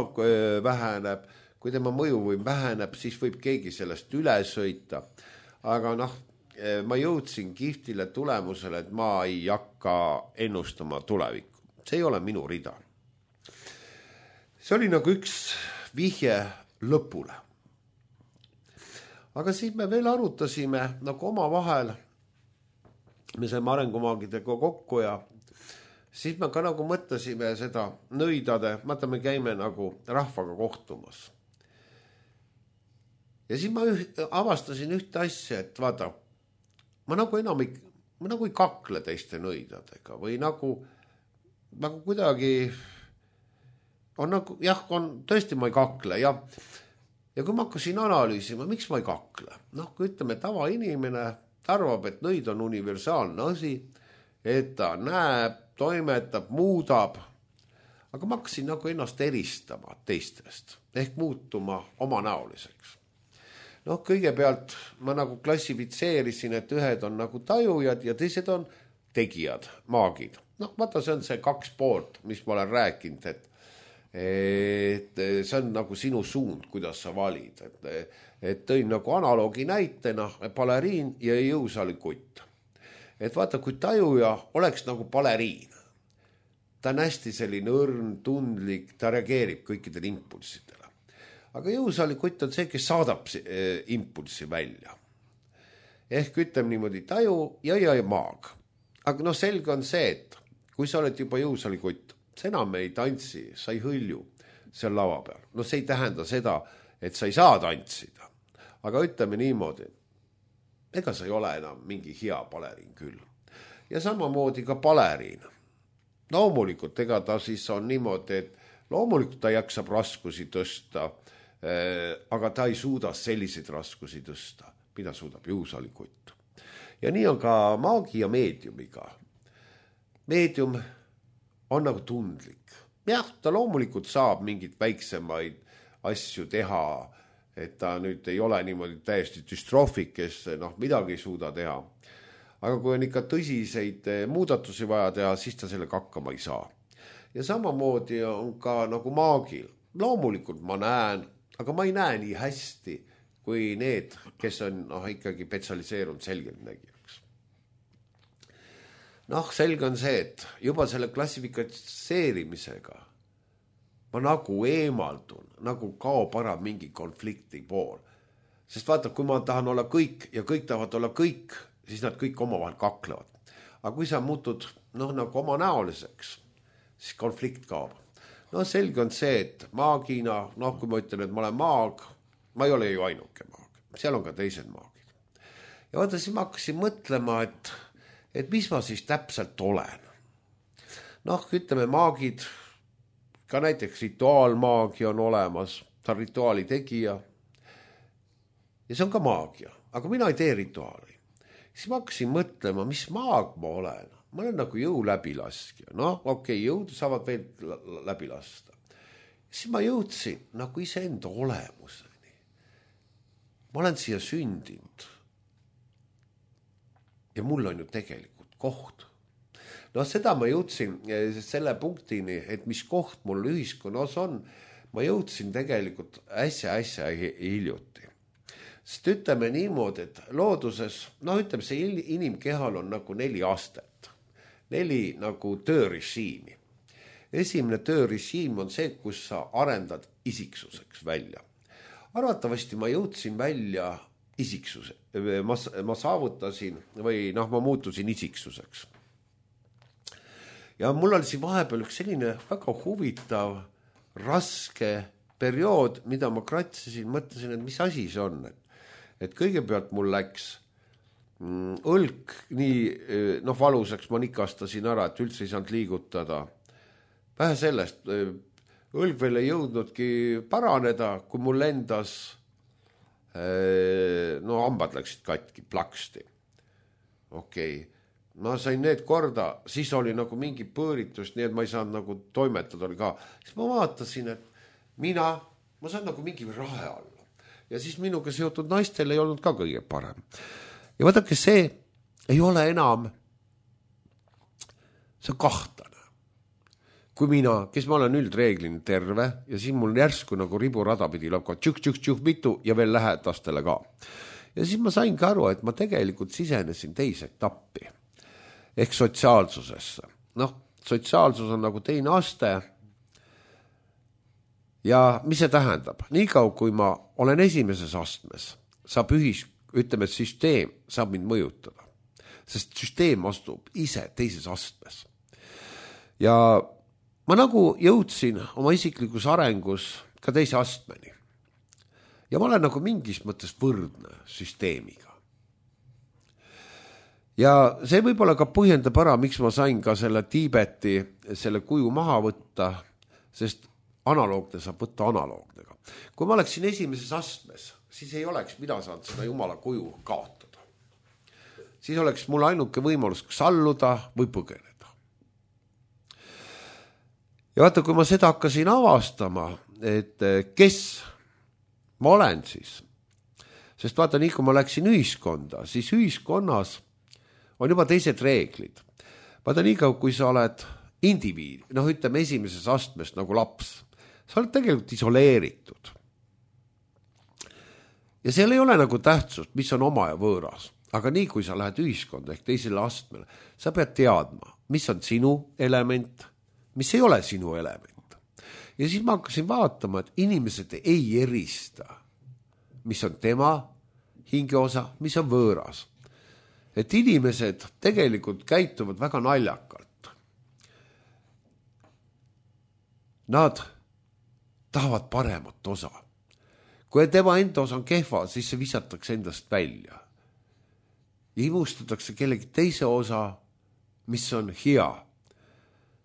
väheneb. Kui tema mõjuvõim väheneb, siis võib keegi sellest üle sõita. Aga noh, ma jõudsin kihtile tulemusele, et ma ei hakka ennustama tulevikku. See ei ole minu rida. See oli nagu üks vihje lõpule. Aga siis me veel arutasime nagu oma vahel, me saime arengumaagidega kokku ja siis me ka nagu mõtlesime seda nõidade, vaata me käime nagu rahvaga kohtumas. Ja siis ma üht, avastasin ühte asja, et vaata, ma nagu enam ei, ma nagu ei kakle teiste nõidadega või nagu, nagu kuidagi on nagu, jah, on, tõesti ma ei kakle ja, ja kui ma hakkasin analüüsima, miks ma ei kakle? Noh, kui ütleme, tava inimene arvab, et nõid on universaalne asi, et ta näeb, toimetab, muudab, aga ma hakkasin nagu ennast eristama teistest ehk muutuma omanäoliseks. Noh, kõigepealt ma nagu klassifitseerisin, et ühed on nagu tajujad ja teised on tegijad, maagid. Noh, vaata, see on see kaks poolt, mis ma olen rääkinud, et, et see on nagu sinu suund, kuidas sa valid. Et, et tõin nagu analoogi näitena baleriin ja jõusaali kutt. Et vaata, kui tajuja oleks nagu baleriin, ta on hästi selline õrn, tundlik, ta reageerib kõikidele impulssidele. Aga jõusaali kutt on see, kes saadab impulssi välja. Ehk ütleme niimoodi taju ja ja maag. Aga noh, selge on see, et kui sa oled juba jõusaali kutt, sa enam ei tantsi, sa ei hõlju seal lava peal. No see ei tähenda seda, et sa ei saa tantsida. Aga ütleme niimoodi, ega sa ei ole enam mingi hea baleriin küll. Ja samamoodi ka baleriin. Loomulikult, ega ta siis on niimoodi, et loomulikult ta jaksab raskusi tõsta, aga ta ei suuda selliseid raskusi tõsta, mida suudab jõusaali kutt. Ja nii on ka maagi ja meediumiga. Meedium on nagu tundlik. Jah, ta loomulikult saab mingit väiksemaid asju teha, et ta nüüd ei ole niimoodi täiesti düstroofik, kes noh, midagi ei suuda teha. Aga kui on ikka tõsiseid muudatusi vaja teha, siis ta sellega hakkama ei saa. Ja samamoodi on ka nagu maagil. Loomulikult ma näen, aga ma ei näe nii hästi, kui need, kes on noh, ikkagi spetsialiseerunud selgeltnägijaks. Noh, selge on see, et juba selle klassifikatseerimisega ma nagu eemaldun, nagu kaob ära mingi konflikti pool. Sest vaata, kui ma tahan olla kõik ja kõik tahavad olla kõik, siis nad kõik omavahel kaklevad. Aga kui sa muutud noh, nagu oma näoliseks, siis konflikt kaob. No selge on see, et maagina, noh kui ma ütlen, et ma olen maag, ma ei ole ju ainuke maag. Seal on ka teised maagid. Ja vaata, siis ma hakkasin mõtlema, et, et mis ma siis täpselt olen. Noh, ütleme maagid, ka näiteks rituaalmaagia on olemas, ta on rituaali tegija. Ja see on ka maagia, aga mina ei tee rituaali. Siis ma hakkasin mõtlema, mis maag ma olen. Ma olen nagu jõu läbilaskja. No okei, okay, jõud saavad veel läbi lasta. Siis ma jõudsin nagu iseenda olemuseni. Ma olen siia sündinud. Ja mul on ju tegelikult koht. No seda ma jõudsin selle punktini, et mis koht mul ühiskonnas on, ma jõudsin tegelikult äsja-äsja hiljuti. Sest ütleme niimoodi, et looduses, no ütleme, see inimkehal on nagu neli astet, neli nagu töörežiimi. Esimene töörežiim on see, kus sa arendad isiksuseks välja. Arvatavasti ma jõudsin välja isiksuse, ma, ma saavutasin või noh, ma muutusin isiksuseks. Ja mul oli siin vahepeal üks selline väga huvitav, raske periood, mida ma kratsisin, mõtlesin, et mis asi see on, et et kõigepealt mul läks mm, õlk nii noh, valusaks, ma nikastasin ära, et üldse ei saanud liigutada. Vähe sellest, õlg veel ei jõudnudki paraneda, kui mul lendas, no hambad läksid katki, plaksti. Okei, okay. Ma sain need korda, siis oli nagu mingi põõritus, nii et ma ei saanud nagu toimetada oli ka. Siis ma vaatasin, et mina, ma saan nagu mingi rahe alla. Ja siis minuga seotud naistel ei olnud ka kõige parem. Ja vaadake, see ei ole enam, see on kahtlane. Kui mina, kes ma olen üldreeglini terve ja siis mul järsku nagu riburada pidi lõpka tšuk, tšuk, tšuk, mitu ja veel lähedastele ka. Ja siis ma sain ka aru, et ma tegelikult sisenesin teise etappi ehk sotsiaalsusesse. Noh, sotsiaalsus on nagu teine aste. Ja mis see tähendab? Nii kaua, kui ma olen esimeses astmes, saab ühis, ütleme, süsteem saab mind mõjutada. Sest süsteem astub ise teises astmes. Ja ma nagu jõudsin oma isiklikus arengus ka teise astmeni. Ja ma olen nagu mingis mõttes võrdne süsteemiga. Ja see võib-olla ka põhjendab ära, miks ma sain ka selle Tiibeti, selle kuju maha võtta, sest analoogne saab võtta analoognega. Kui ma oleksin esimeses astmes, siis ei oleks mina saanud seda jumala kuju kaotada. Siis oleks mul ainuke võimalus salluda või põgeneda. Ja vaata, kui ma seda hakkasin avastama, et kes ma olen siis, sest vaata, nii kui ma läksin ühiskonda, siis ühiskonnas on juba teised reeglid. Vaata, nii kui sa oled indiviid, noh ütleme esimeses astmes nagu laps, sa oled tegelikult isoleeritud. Ja seal ei ole nagu tähtsust, mis on oma ja võõras. Aga nii kui sa lähed ühiskonda ehk teisele astmele, sa pead teadma, mis on sinu element, mis ei ole sinu element. Ja siis ma hakkasin vaatama, et inimesed ei erista, mis on tema hingeosa, mis on võõras. Et inimesed tegelikult käituvad väga naljakalt. Nad tahavad paremat osa. Kui tema enda osa on kehva, siis see visatakse endast välja. Ja imustatakse kellegi teise osa, mis on hea.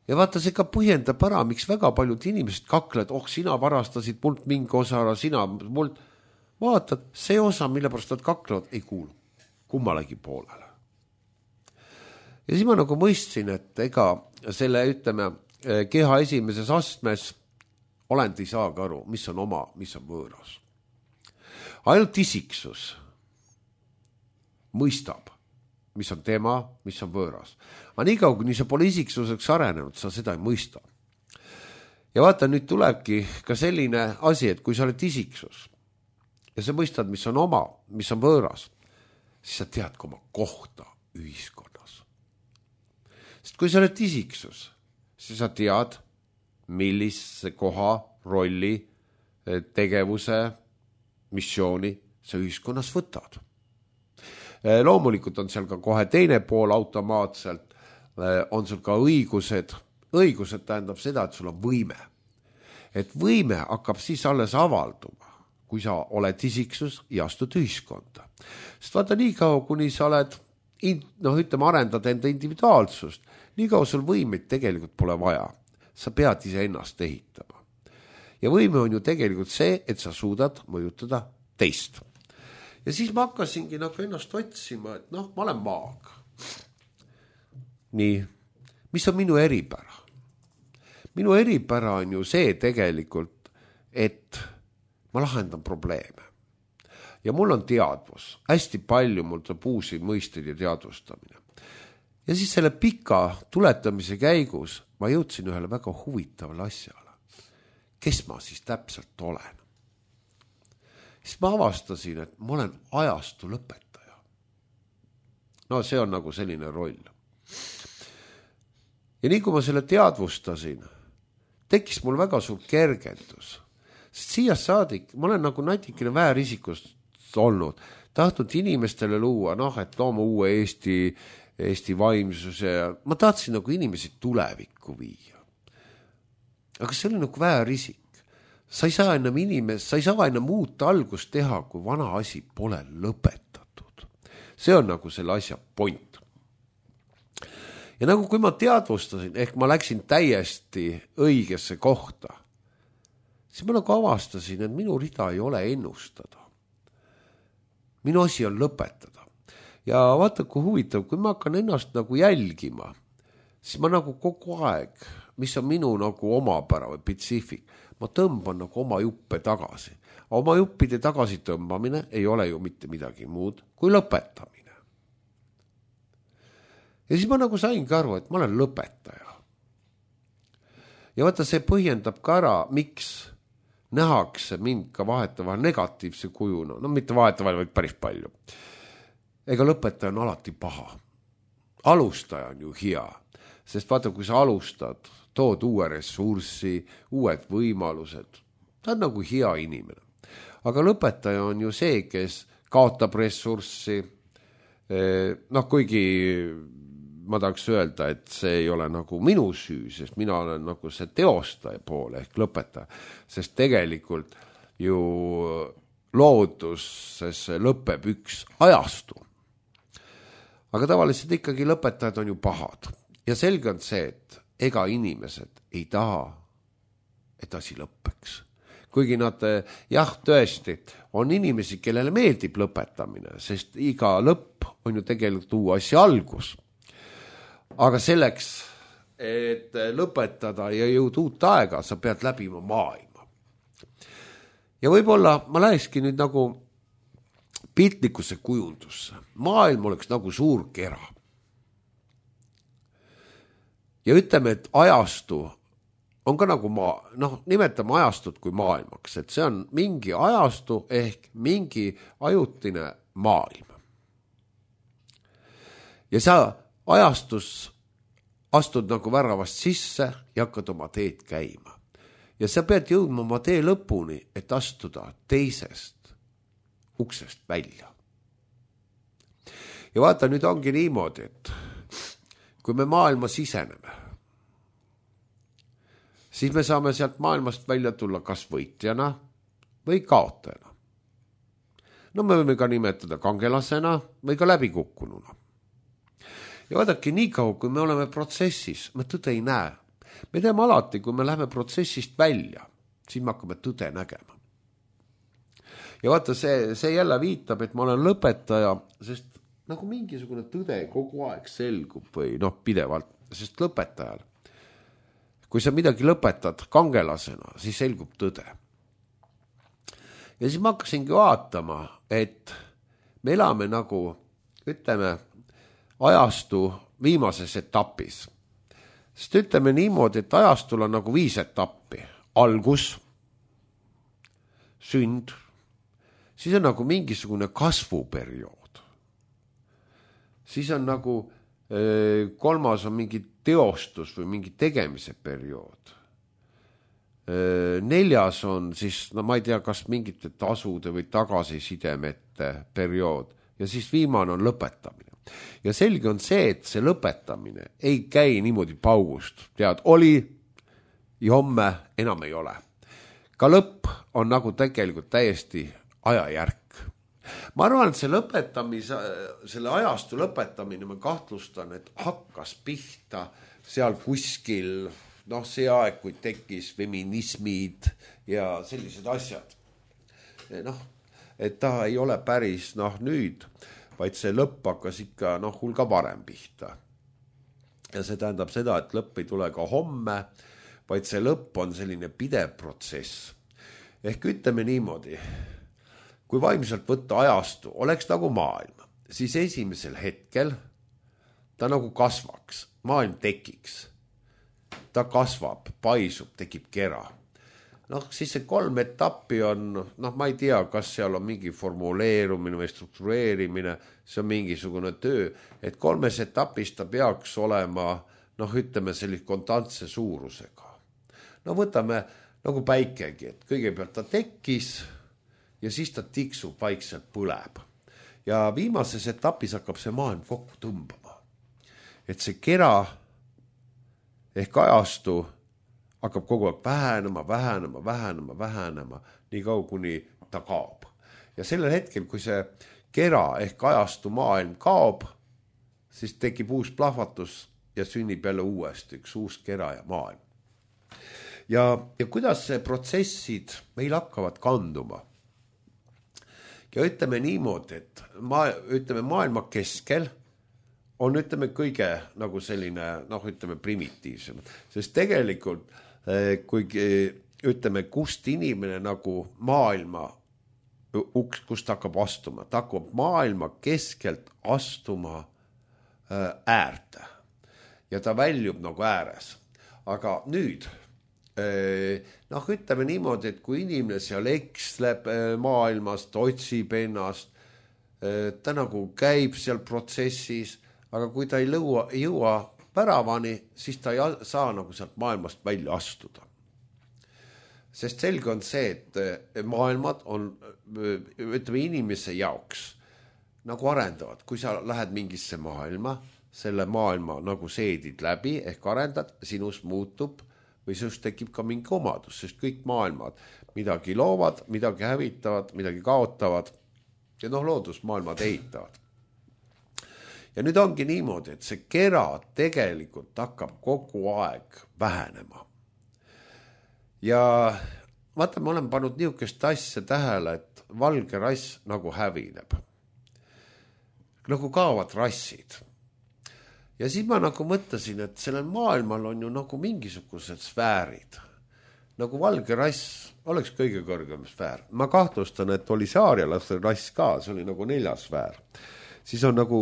Ja vaata, see ka põhjendab ära, miks väga paljud inimesed kaklevad, oh, sina varastasid mult mingi osa ära, sina mult. Vaatad, see osa, mille pärast nad kaklevad, ei kuulu kummalegi poolele. Ja siis ma nagu mõistsin, et ega selle, ütleme, keha esimeses astmes olend ei saagi aru, mis on oma, mis on võõras. Ainult isiksus mõistab, mis on tema, mis on võõras. Aga nii kaua, kui sa pole isiksuseks arenenud, sa seda ei mõista. Ja vaata, nüüd tulebki ka selline asi, et kui sa oled isiksus ja sa mõistad, mis on oma, mis on võõras, siis sa tead ka oma kohta ühiskonnas. Sest kui sa oled isiksus, siis sa tead, millise koha, rolli, tegevuse, missiooni sa ühiskonnas võtad. Loomulikult on seal ka kohe teine pool automaatselt, on sul ka õigused. Õigused tähendab seda, et sul on võime. Et võime hakkab siis alles avalduma, kui sa oled isiksus ja astud ühiskonda. Sest vaata nii kaua, kuni sa oled, noh ütleme, arendad enda individuaalsust, nii kaua sul võimeid tegelikult pole vaja. Sa pead ise ennast ehitama. Ja võime on ju tegelikult see, et sa suudad mõjutada teist. Ja siis ma hakkasingi nagu ennast otsima, et noh, ma olen maag. Nii, mis on minu eripära? Minu eripära on ju see tegelikult, et ma lahendan probleeme. Ja mul on teadvus, hästi palju mul tuleb uusi mõisteid ja teadvustamine. Ja siis selle pika tuletamise käigus ma jõudsin ühele väga huvitavale asjale. Kes ma siis täpselt olen? Siis ma avastasin, et ma olen ajastu lõpetaja. No see on nagu selline roll. Ja nii kui ma selle teadvustasin, tekkis mul väga suur kergendus. Sest siia saadik, ma olen nagu natikene väärisikust olnud, tahtnud inimestele luua, noh, et looma uue Eesti, Eesti vaimsuse ja ma tahtsin nagu inimesi tulevikku viia. Aga see oli nagu väärisik. Sa ei saa enam inimest, sa ei saa enam uut algust teha, kui vana asi pole lõpetatud. See on nagu selle asja point. Ja nagu kui ma teadvustasin, ehk ma läksin täiesti õigesse kohta, siis ma nagu avastasin, et minu rida ei ole ennustada. Minu asi on lõpetada. Ja vaata, kui huvitav, kui ma hakkan ennast nagu jälgima, siis ma nagu kogu aeg, mis on minu nagu omapära või spetsiifik, ma tõmban nagu oma juppe tagasi. Oma juppide tagasi tõmbamine ei ole ju mitte midagi muud kui lõpetamine. Ja siis ma nagu saingi aru, et ma olen lõpetaja. Ja vaata, see põhjendab ka ära, miks nähakse mind ka vahetavahel negatiivse kujuna. No mitte vahetavahel, vaid päris palju. Ega lõpetaja on alati paha. Alustaja on ju hea. Sest vaata, kui sa alustad, tood uue ressurssi, uued võimalused. Ta on nagu hea inimene. Aga lõpetaja on ju see, kes kaotab ressurssi. Noh, kuigi ma tahaks öelda, et see ei ole nagu minu süü, sest mina olen nagu see teostaja poole ehk lõpetaja. Sest tegelikult ju looduses lõpeb üks ajastu. Aga tavaliselt ikkagi lõpetajad on ju pahad. Ja selge on see, et ega inimesed ei taha, et asi lõppeks. Kuigi nad, jah, tõesti, on inimesi, kellele meeldib lõpetamine, sest iga lõpp on ju tegelikult uue asja algus. Aga selleks, et lõpetada ja jõuda uut aega, sa pead läbima maailma. Ja võib-olla ma lähekski nüüd nagu piltlikkuse kujundusse. Maailm oleks nagu suur kera. Ja ütleme, et ajastu on ka nagu maa, noh, nimetame ajastut kui maailmaks, et see on mingi ajastu ehk mingi ajutine maailm. Ja sa ajastus astud nagu väravast sisse ja hakkad oma teed käima. Ja sa pead jõudma oma tee lõpuni, et astuda teisest uksest välja. Ja vaata, nüüd ongi niimoodi, et kui me maailma siseneme, siis me saame sealt maailmast välja tulla kas võitjana või kaotajana. No me võime ka nimetada kangelasena või ka läbikukkununa. Ja vaadake, nii kaua, kui me oleme protsessis, me tõde ei näe. Me teeme alati, kui me läheme protsessist välja, siis me hakkame tõde nägema. Ja vaata, see, see jälle viitab, et ma olen lõpetaja, sest nagu mingisugune tõde kogu aeg selgub või noh, pidevalt, sest lõpetajal. Kui sa midagi lõpetad kangelasena, siis selgub tõde. Ja siis ma hakkasingi vaatama, et me elame nagu, ütleme, ajastu viimases etapis. Sest ütleme niimoodi, et ajastul on nagu viis etappi. Algus, sünd, siis on nagu mingisugune kasvuperiood. Siis on nagu kolmas on mingi teostus või mingi tegemise periood. neljas on siis, no ma ei tea, kas mingite tasude või tagasisidemete periood ja siis viimane on lõpetamine. Ja selge on see, et see lõpetamine ei käi niimoodi paugust. Tead, oli ja homme enam ei ole. Ka lõpp on nagu tegelikult täiesti ajajärk. Ma arvan, et see lõpetamise, selle ajastu lõpetamine, ma kahtlustan, et hakkas pihta seal kuskil noh, see aeg, kui tekkis feminismid ja sellised asjad. Noh, et ta ei ole päris noh nüüd, vaid see lõpp hakkas ikka noh hulga varem pihta. Ja see tähendab seda, et lõpp ei tule ka homme, vaid see lõpp on selline pidev protsess. Ehk ütleme niimoodi, kui vaimselt võtta ajastu oleks nagu maailm, siis esimesel hetkel ta nagu kasvaks, maailm tekiks. Ta kasvab, paisub, tekib kera. Noh, siis see kolm etappi on, noh, ma ei tea, kas seal on mingi formuleerumine või struktureerimine, see on mingisugune töö, et kolmes etapis ta peaks olema, noh, ütleme sellist kontantse suurusega. No võtame nagu päikegi, et kõigepealt ta tekkis ja siis ta tiksub, vaikselt põleb. Ja viimases etapis hakkab see maailm kokku tõmbama. Et see kera ehk ajastu hakkab kogu aeg vähenema, vähenema, vähenema, vähenema, nii kaua kuni ta kaob. Ja sellel hetkel, kui see kera ehk ajastu maailm kaob, siis tekib uus plahvatus ja sünnib jälle uuesti üks uus kera ja maailm. Ja, ja kuidas see protsessid meil hakkavad kanduma? Ja ütleme niimoodi, et ma, ütleme maailma keskel on, ütleme, kõige nagu selline, noh, ütleme, primitiivsem. Sest tegelikult, kui, ütleme, kust inimene nagu maailma, uks, kust hakkab astuma, ta hakkab maailma keskelt astuma äärde. Ja ta väljub nagu ääres. Aga nüüd, noh, ütleme niimoodi, et kui inimene seal eksleb maailmast, otsib ennast, ta nagu käib seal protsessis, aga kui ta ei lõua, ei jõua päravani, siis ta ei saa nagu sealt maailmast välja astuda. Sest selge on see, et maailmad on, ütleme, inimese jaoks nagu arendavad. Kui sa lähed mingisse maailma, selle maailma nagu seedid läbi ehk arendad, sinus muutub või sinust tekib ka mingi omadus, sest kõik maailmad midagi loovad, midagi hävitavad, midagi kaotavad ja noh, loodusmaailmad ehitavad. Ja nüüd ongi niimoodi, et see kera tegelikult hakkab kogu aeg vähenema. Ja vaata, ma olen pannud niisugust asja tähele, et valge rass nagu hävineb. Nagu kaovad rassid. Ja siis ma nagu mõtlesin, et sellel maailmal on ju nagu mingisugused sfäärid. Nagu valge rass oleks kõige kõrgem sfäär. Ma kahtlustan, et oli see aarialaste rass ka, see oli nagu neljas sfäär. Siis on nagu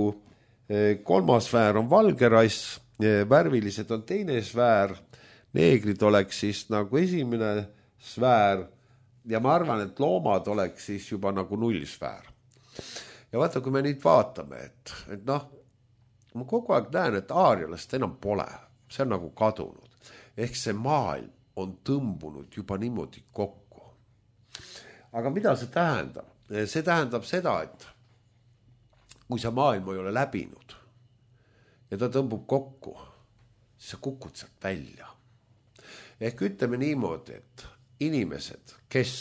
kolmas sfäär on valge rass, värvilised on teine sfäär, neegrid oleks siis nagu esimene sfäär ja ma arvan, et loomad oleks siis juba nagu nullsfäär. Ja vaata, kui me nüüd vaatame, et, et noh, ma kogu aeg näen, et aarialast enam pole, see on nagu kadunud. Ehk see maailm on tõmbunud juba niimoodi kokku. Aga mida see tähendab? See tähendab seda, et kui sa maailma ei ole läbinud ja ta tõmbub kokku, siis sa kukud sealt välja. Ehk ütleme niimoodi, et inimesed, kes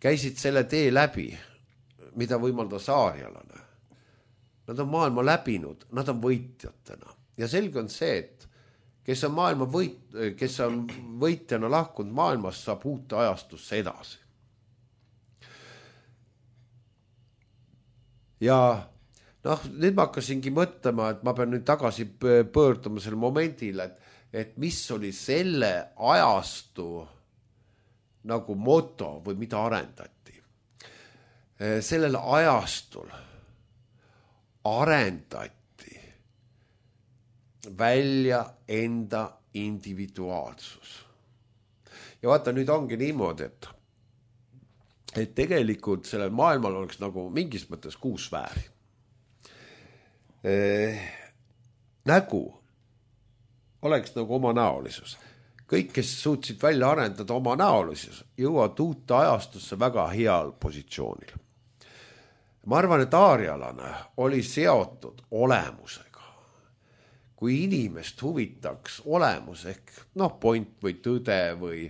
käisid selle tee läbi, mida võimaldas aarialane, nad on maailma läbinud, nad on võitjatena. Ja selge on see, et kes on, maailma võit, kes on võitjana lahkunud maailmast, saab uute ajastusse edasi. Ja noh, nüüd ma hakkasingi mõtlema, et ma pean nüüd tagasi pöörduma selle momendile, et, et mis oli selle ajastu nagu moto või mida arendati. Sellel ajastul arendati välja enda individuaalsus. Ja vaata, nüüd ongi niimoodi, et et tegelikult sellel maailmal oleks nagu mingis mõttes kuus sfääri. Eh, nägu oleks nagu oma näolisus. kõik, kes suutsid välja arendada oma näolisus, jõuavad uute ajastusse väga heal positsioonil. Ma arvan, et aarialane oli seotud olemusega. Kui inimest huvitaks olemus ehk noh, point või tõde või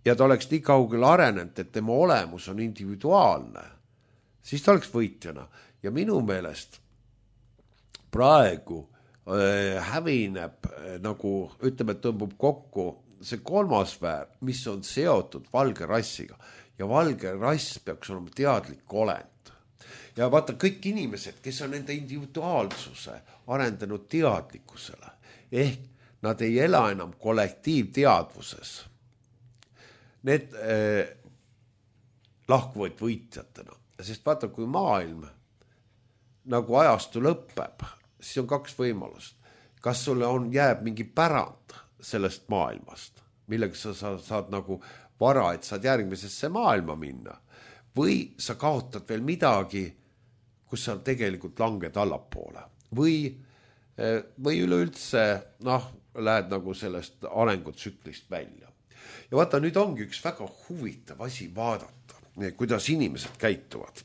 ja ta oleks nii kaugel arenenud, et tema olemus on individuaalne, siis ta oleks võitjana. Ja minu meelest praegu hävineb, nagu ütleme, tõmbub kokku see kolmas väär, mis on seotud valge rassiga. Ja valge rass peaks olema teadlik olend. Ja vaata, kõik inimesed, kes on enda individuaalsuse arendanud teadlikkusele, ehk nad ei ela enam kollektiivteadvuses. Need eh, lahkuvad võitjatena. Sest vaata, kui maailm nagu ajastu lõpeb, siis on kaks võimalust. Kas sulle on, jääb mingi pärand sellest maailmast, millega sa saad, saad nagu vara, et saad järgmisesse maailma minna, või sa kaotad veel midagi, kus sa tegelikult langed allapoole, või, või üleüldse noh, lähed nagu sellest arengutsüklist välja. Ja vaata, nüüd ongi üks väga huvitav asi vaadata, kuidas inimesed käituvad.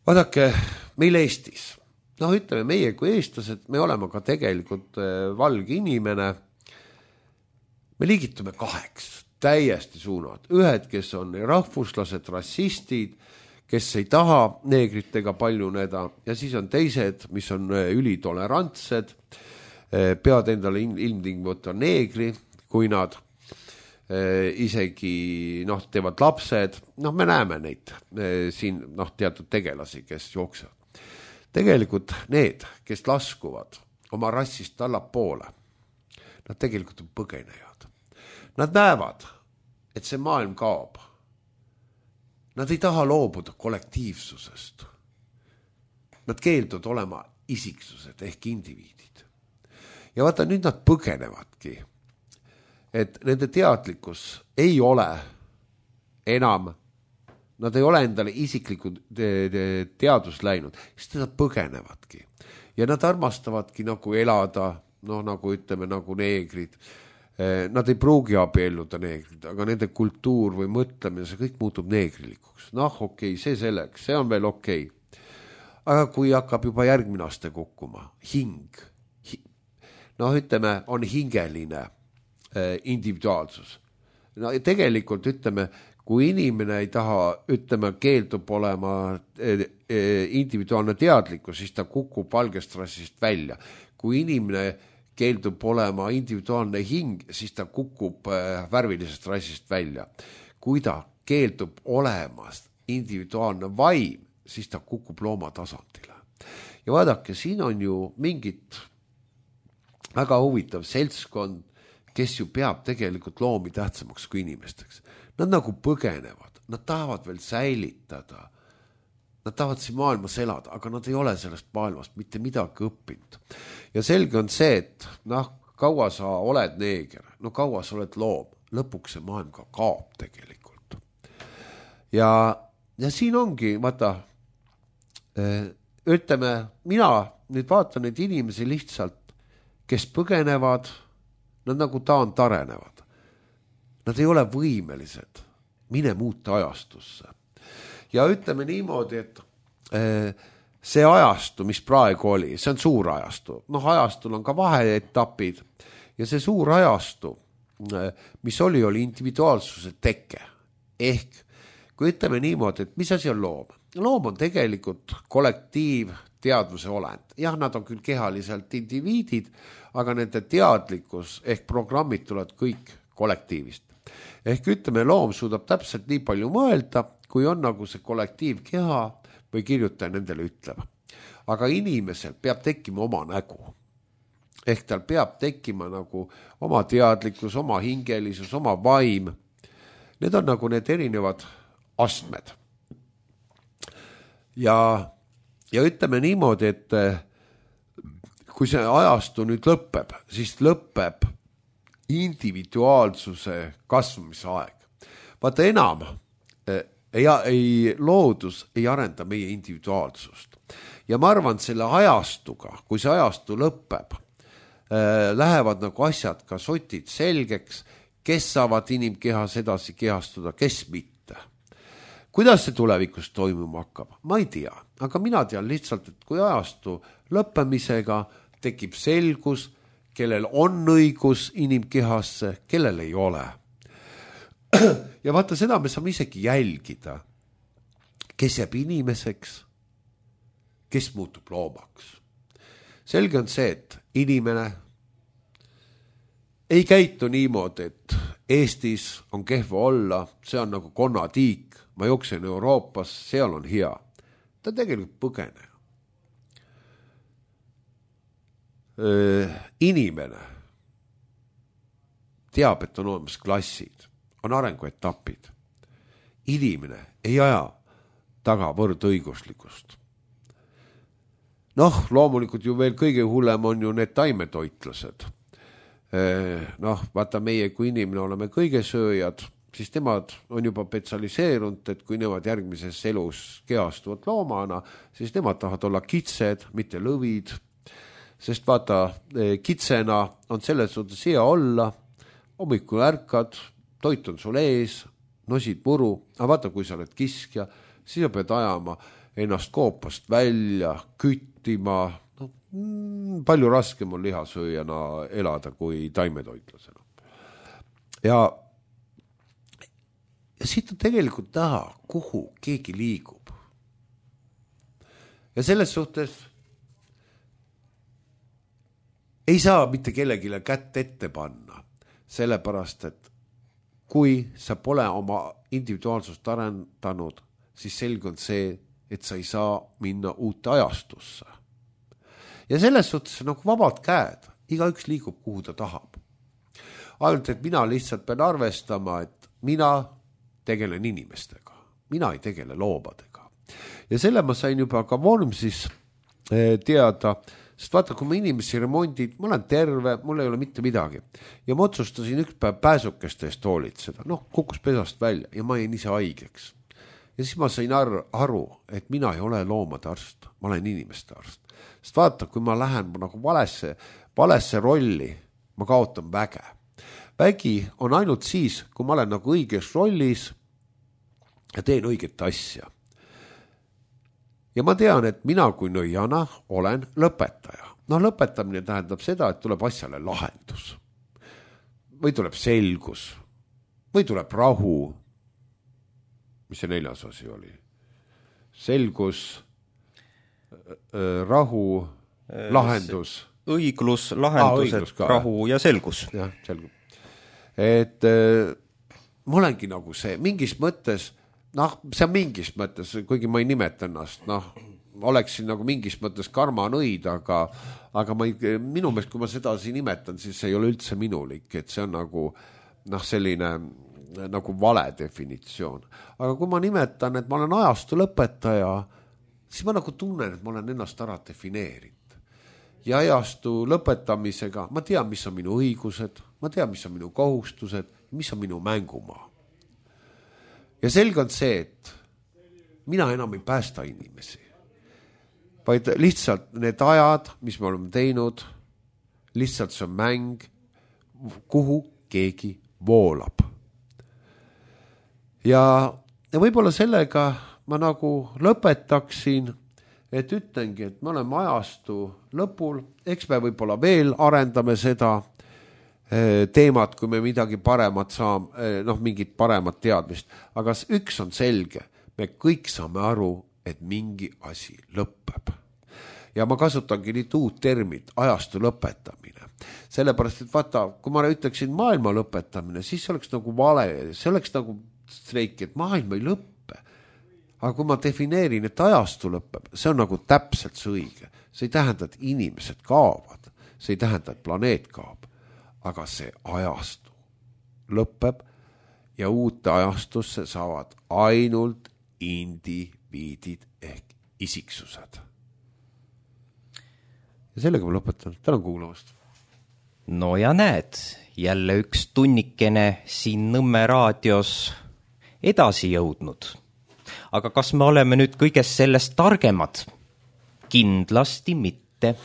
Vaadake, meil Eestis, noh ütleme, meie kui eestlased, me oleme ka tegelikult valge inimene, me liigitume kaheks, täiesti suunad. Ühed, kes on rahvuslased, rassistid, kes ei taha neegritega paljuneda, ja siis on teised, mis on ülitolerantsed, pead endale ilmtingimata neegri, kui nad isegi noh, teevad lapsed, noh, me näeme neid siin noh, teatud tegelasi, kes jooksevad. Tegelikult need, kes laskuvad oma rassist allapoole, nad tegelikult on põgenejad. Nad näevad, et see maailm kaob. Nad ei taha loobuda kollektiivsusest. Nad keelduvad olema isiksused ehk indiviidid. Ja vaata, nüüd nad põgenevadki, et nende teadlikkus ei ole enam, nad ei ole endale isiklikud teadus läinud, siis nad põgenevadki. Ja nad armastavadki nagu elada, noh nagu ütleme, nagu neegrid. Nad ei pruugi abielluda neegrid, aga nende kultuur või mõtlemine, see kõik muutub neegrilikuks. Noh, okei, see selleks, see on veel okei. Aga kui hakkab juba järgmine aste kukkuma, hing, noh ütleme, on hingeline individuaalsus. No tegelikult ütleme, kui inimene ei taha, ütleme, keeldub olema individuaalne teadlikkus, siis ta kukub valgest rassist välja. Kui inimene keeldub olema individuaalne hing, siis ta kukub värvilisest rassist välja. Kui ta keeldub olemast individuaalne vaim, siis ta kukub looma tasandile. Ja vaadake, siin on ju mingit väga huvitav seltskond, kes ju peab tegelikult loomi tähtsamaks kui inimesteks. Nad nagu põgenevad, nad tahavad veel säilitada, nad tahavad siin maailmas elada, aga nad ei ole sellest maailmast mitte midagi õppinud. Ja selge on see, et noh, kaua sa oled neeger, no kaua sa oled loom, lõpuks see maailm ka kaob tegelikult. Ja, ja siin ongi, vaata, ütleme, mina nüüd vaatan neid inimesi lihtsalt, kes põgenevad, nad nagu taand arenevad. Nad ei ole võimelised mine muuta ajastusse. Ja ütleme niimoodi, et see ajastu, mis praegu oli, see on suur ajastu. Noh, ajastul on ka vaheetapid ja see suur ajastu, mis oli, oli individuaalsuse teke. Ehk, kui ütleme niimoodi, et mis asi on loom? Loom on tegelikult kollektiiv teadvuse olend. Jah, nad on küll kehaliselt indiviidid, aga nende teadlikkus ehk programmid tulevad kõik kollektiivist. Ehk ütleme, loom suudab täpselt nii palju mõelda, kui on nagu see kollektiivkeha või kirjutaja nendele ütleb. Aga inimesel peab tekkima oma nägu. Ehk tal peab tekkima nagu oma teadlikkus, oma hingelisus, oma vaim. Need on nagu need erinevad astmed. Ja, ja ütleme niimoodi, et kui see ajastu nüüd lõpeb, siis lõpeb individuaalsuse kasvamise aeg. Vaata enam, ei, ei, loodus ei arenda meie individuaalsust. Ja ma arvan, selle ajastuga, kui see ajastu lõpeb, äh, lähevad nagu asjad ka sotid selgeks, kes saavad inimkehas edasi kehastuda, kes mitte. Kuidas see tulevikus toimuma hakkab? Ma ei tea, aga mina tean lihtsalt, et kui ajastu lõppemisega tekib selgus, kellel on õigus inimkehasse, kellel ei ole. Ja vaata, seda me saame isegi jälgida, kes jääb inimeseks, kes muutub loomaks. Selge on see, et inimene ei käitu niimoodi, et Eestis on kehva olla, see on nagu konnatiik, ma jooksen Euroopas, seal on hea. Ta tegelikult põgene. Öö, inimene teab, et on olemas klassid, on arenguetapid. Inimene ei aja taga võrdõiguslikust. Noh, loomulikult ju veel kõige hullem on ju need taimetoitlased. Noh, vaata meie, kui inimene oleme kõige sööjad, siis nemad on juba spetsialiseerunud, et kui nemad järgmises elus kehastuvad loomana, siis nemad tahavad olla kitsed, mitte lõvid. Sest vaata, kitsena on selles suhtes hea olla, hommikul ärkad, toit on sul ees, nosid muru, aga vaata, kui sa oled kiskja, siis sa pead ajama ennast koopast välja, küttima, no, mm, palju raskem on lihasööjana elada kui taimetoitlasena. Ja, ja siit on tegelikult näha, kuhu keegi liigub. Ja selles suhtes ei saa mitte kellegile kätt ette panna, sellepärast, et kui sa pole oma individuaalsust arendanud, siis selge on see, et sa ei saa minna uute ajastusse. Ja selles suhtes nagu vabad käed, igaüks liigub, kuhu ta tahab. Ainult, et mina lihtsalt pean arvestama, et mina tegelen inimestega, mina ei tegele loobadega. Ja selle ma sain juba ka Vormsis teada, sest vaata, kui ma inimesi remondid, ma olen terve, mul ei ole mitte midagi. Ja ma otsustasin üks päev pääsukeste eest hoolitseda, noh, kukkus pesast välja ja ma jäin ise haigeks. Ja siis ma sain aru, et mina ei ole loomade arst, ma olen inimeste arst. Sest vaata, kui ma lähen nagu valesse, valesse rolli, ma kaotan väge. Vägi on ainult siis, kui ma olen nagu õiges rollis ja teen õiget asja. Ja ma tean, et mina kui nõiana olen lõpetaja. No lõpetamine tähendab seda, et tuleb asjale lahendus. Või tuleb selgus. Või tuleb rahu. Mis see neljas asi oli? Selgus, rahu, lahendus. Õiglus, lahendused, ah, rahu ja selgus. Jah, selgus. Et äh, mul ongi nagu see, mingis mõttes, noh, see on mingis mõttes, kuigi ma ei nimeta ennast, noh, oleksin nagu mingis mõttes karmanõid, aga, aga ma ei, minu meelest, kui ma seda siin nimetan, siis see ei ole üldse minulik, et see on nagu, noh, selline nagu vale definitsioon. Aga kui ma nimetan, et ma olen ajastu lõpetaja, siis ma nagu tunnen, et ma olen ennast ära defineerinud. Ja ajastu lõpetamisega ma tean, mis on minu õigused, ma tean, mis on minu kohustused, mis on minu mängumaa. Ja selge on see, et mina enam ei päästa inimesi, vaid lihtsalt need ajad, mis me oleme teinud, lihtsalt see on mäng, kuhu keegi voolab. Ja, ja võib-olla sellega ma nagu lõpetaksin, et ütlengi, et me oleme ajastu lõpul, eks me võib-olla veel arendame seda teemat, kui me midagi paremat saame, noh, mingit paremat teadmist, aga üks on selge, me kõik saame aru, et mingi asi lõpeb. Ja ma kasutangi nüüd uut termit, ajastu lõpetamine. Sellepärast, et vaata, kui ma ütleksin maailma lõpetamine, siis see oleks nagu vale, see oleks nagu streik, et maailma ei lõppe. Aga kui ma defineerin, et ajastu lõpeb, see on nagu täpselt see õige. See ei tähenda, et inimesed kaovad. See ei tähenda, et planeet kaob. Aga see ajastu lõpeb ja uute ajastusse saavad ainult indiviidid ehk isiksused. Ja sellega ma lõpetan. Tänan kuulamast. No ja näed, jälle üks tunnikene siin Nõmme raadios edasi jõudnud. Aga kas me oleme nüüd kõigest sellest targemad? Kindlasti mitte.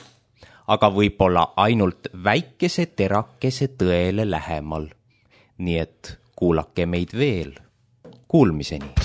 aga võib-olla ainult väikese terakese tõele lähemal. Nii et kuulake meid veel. Kuulmiseni!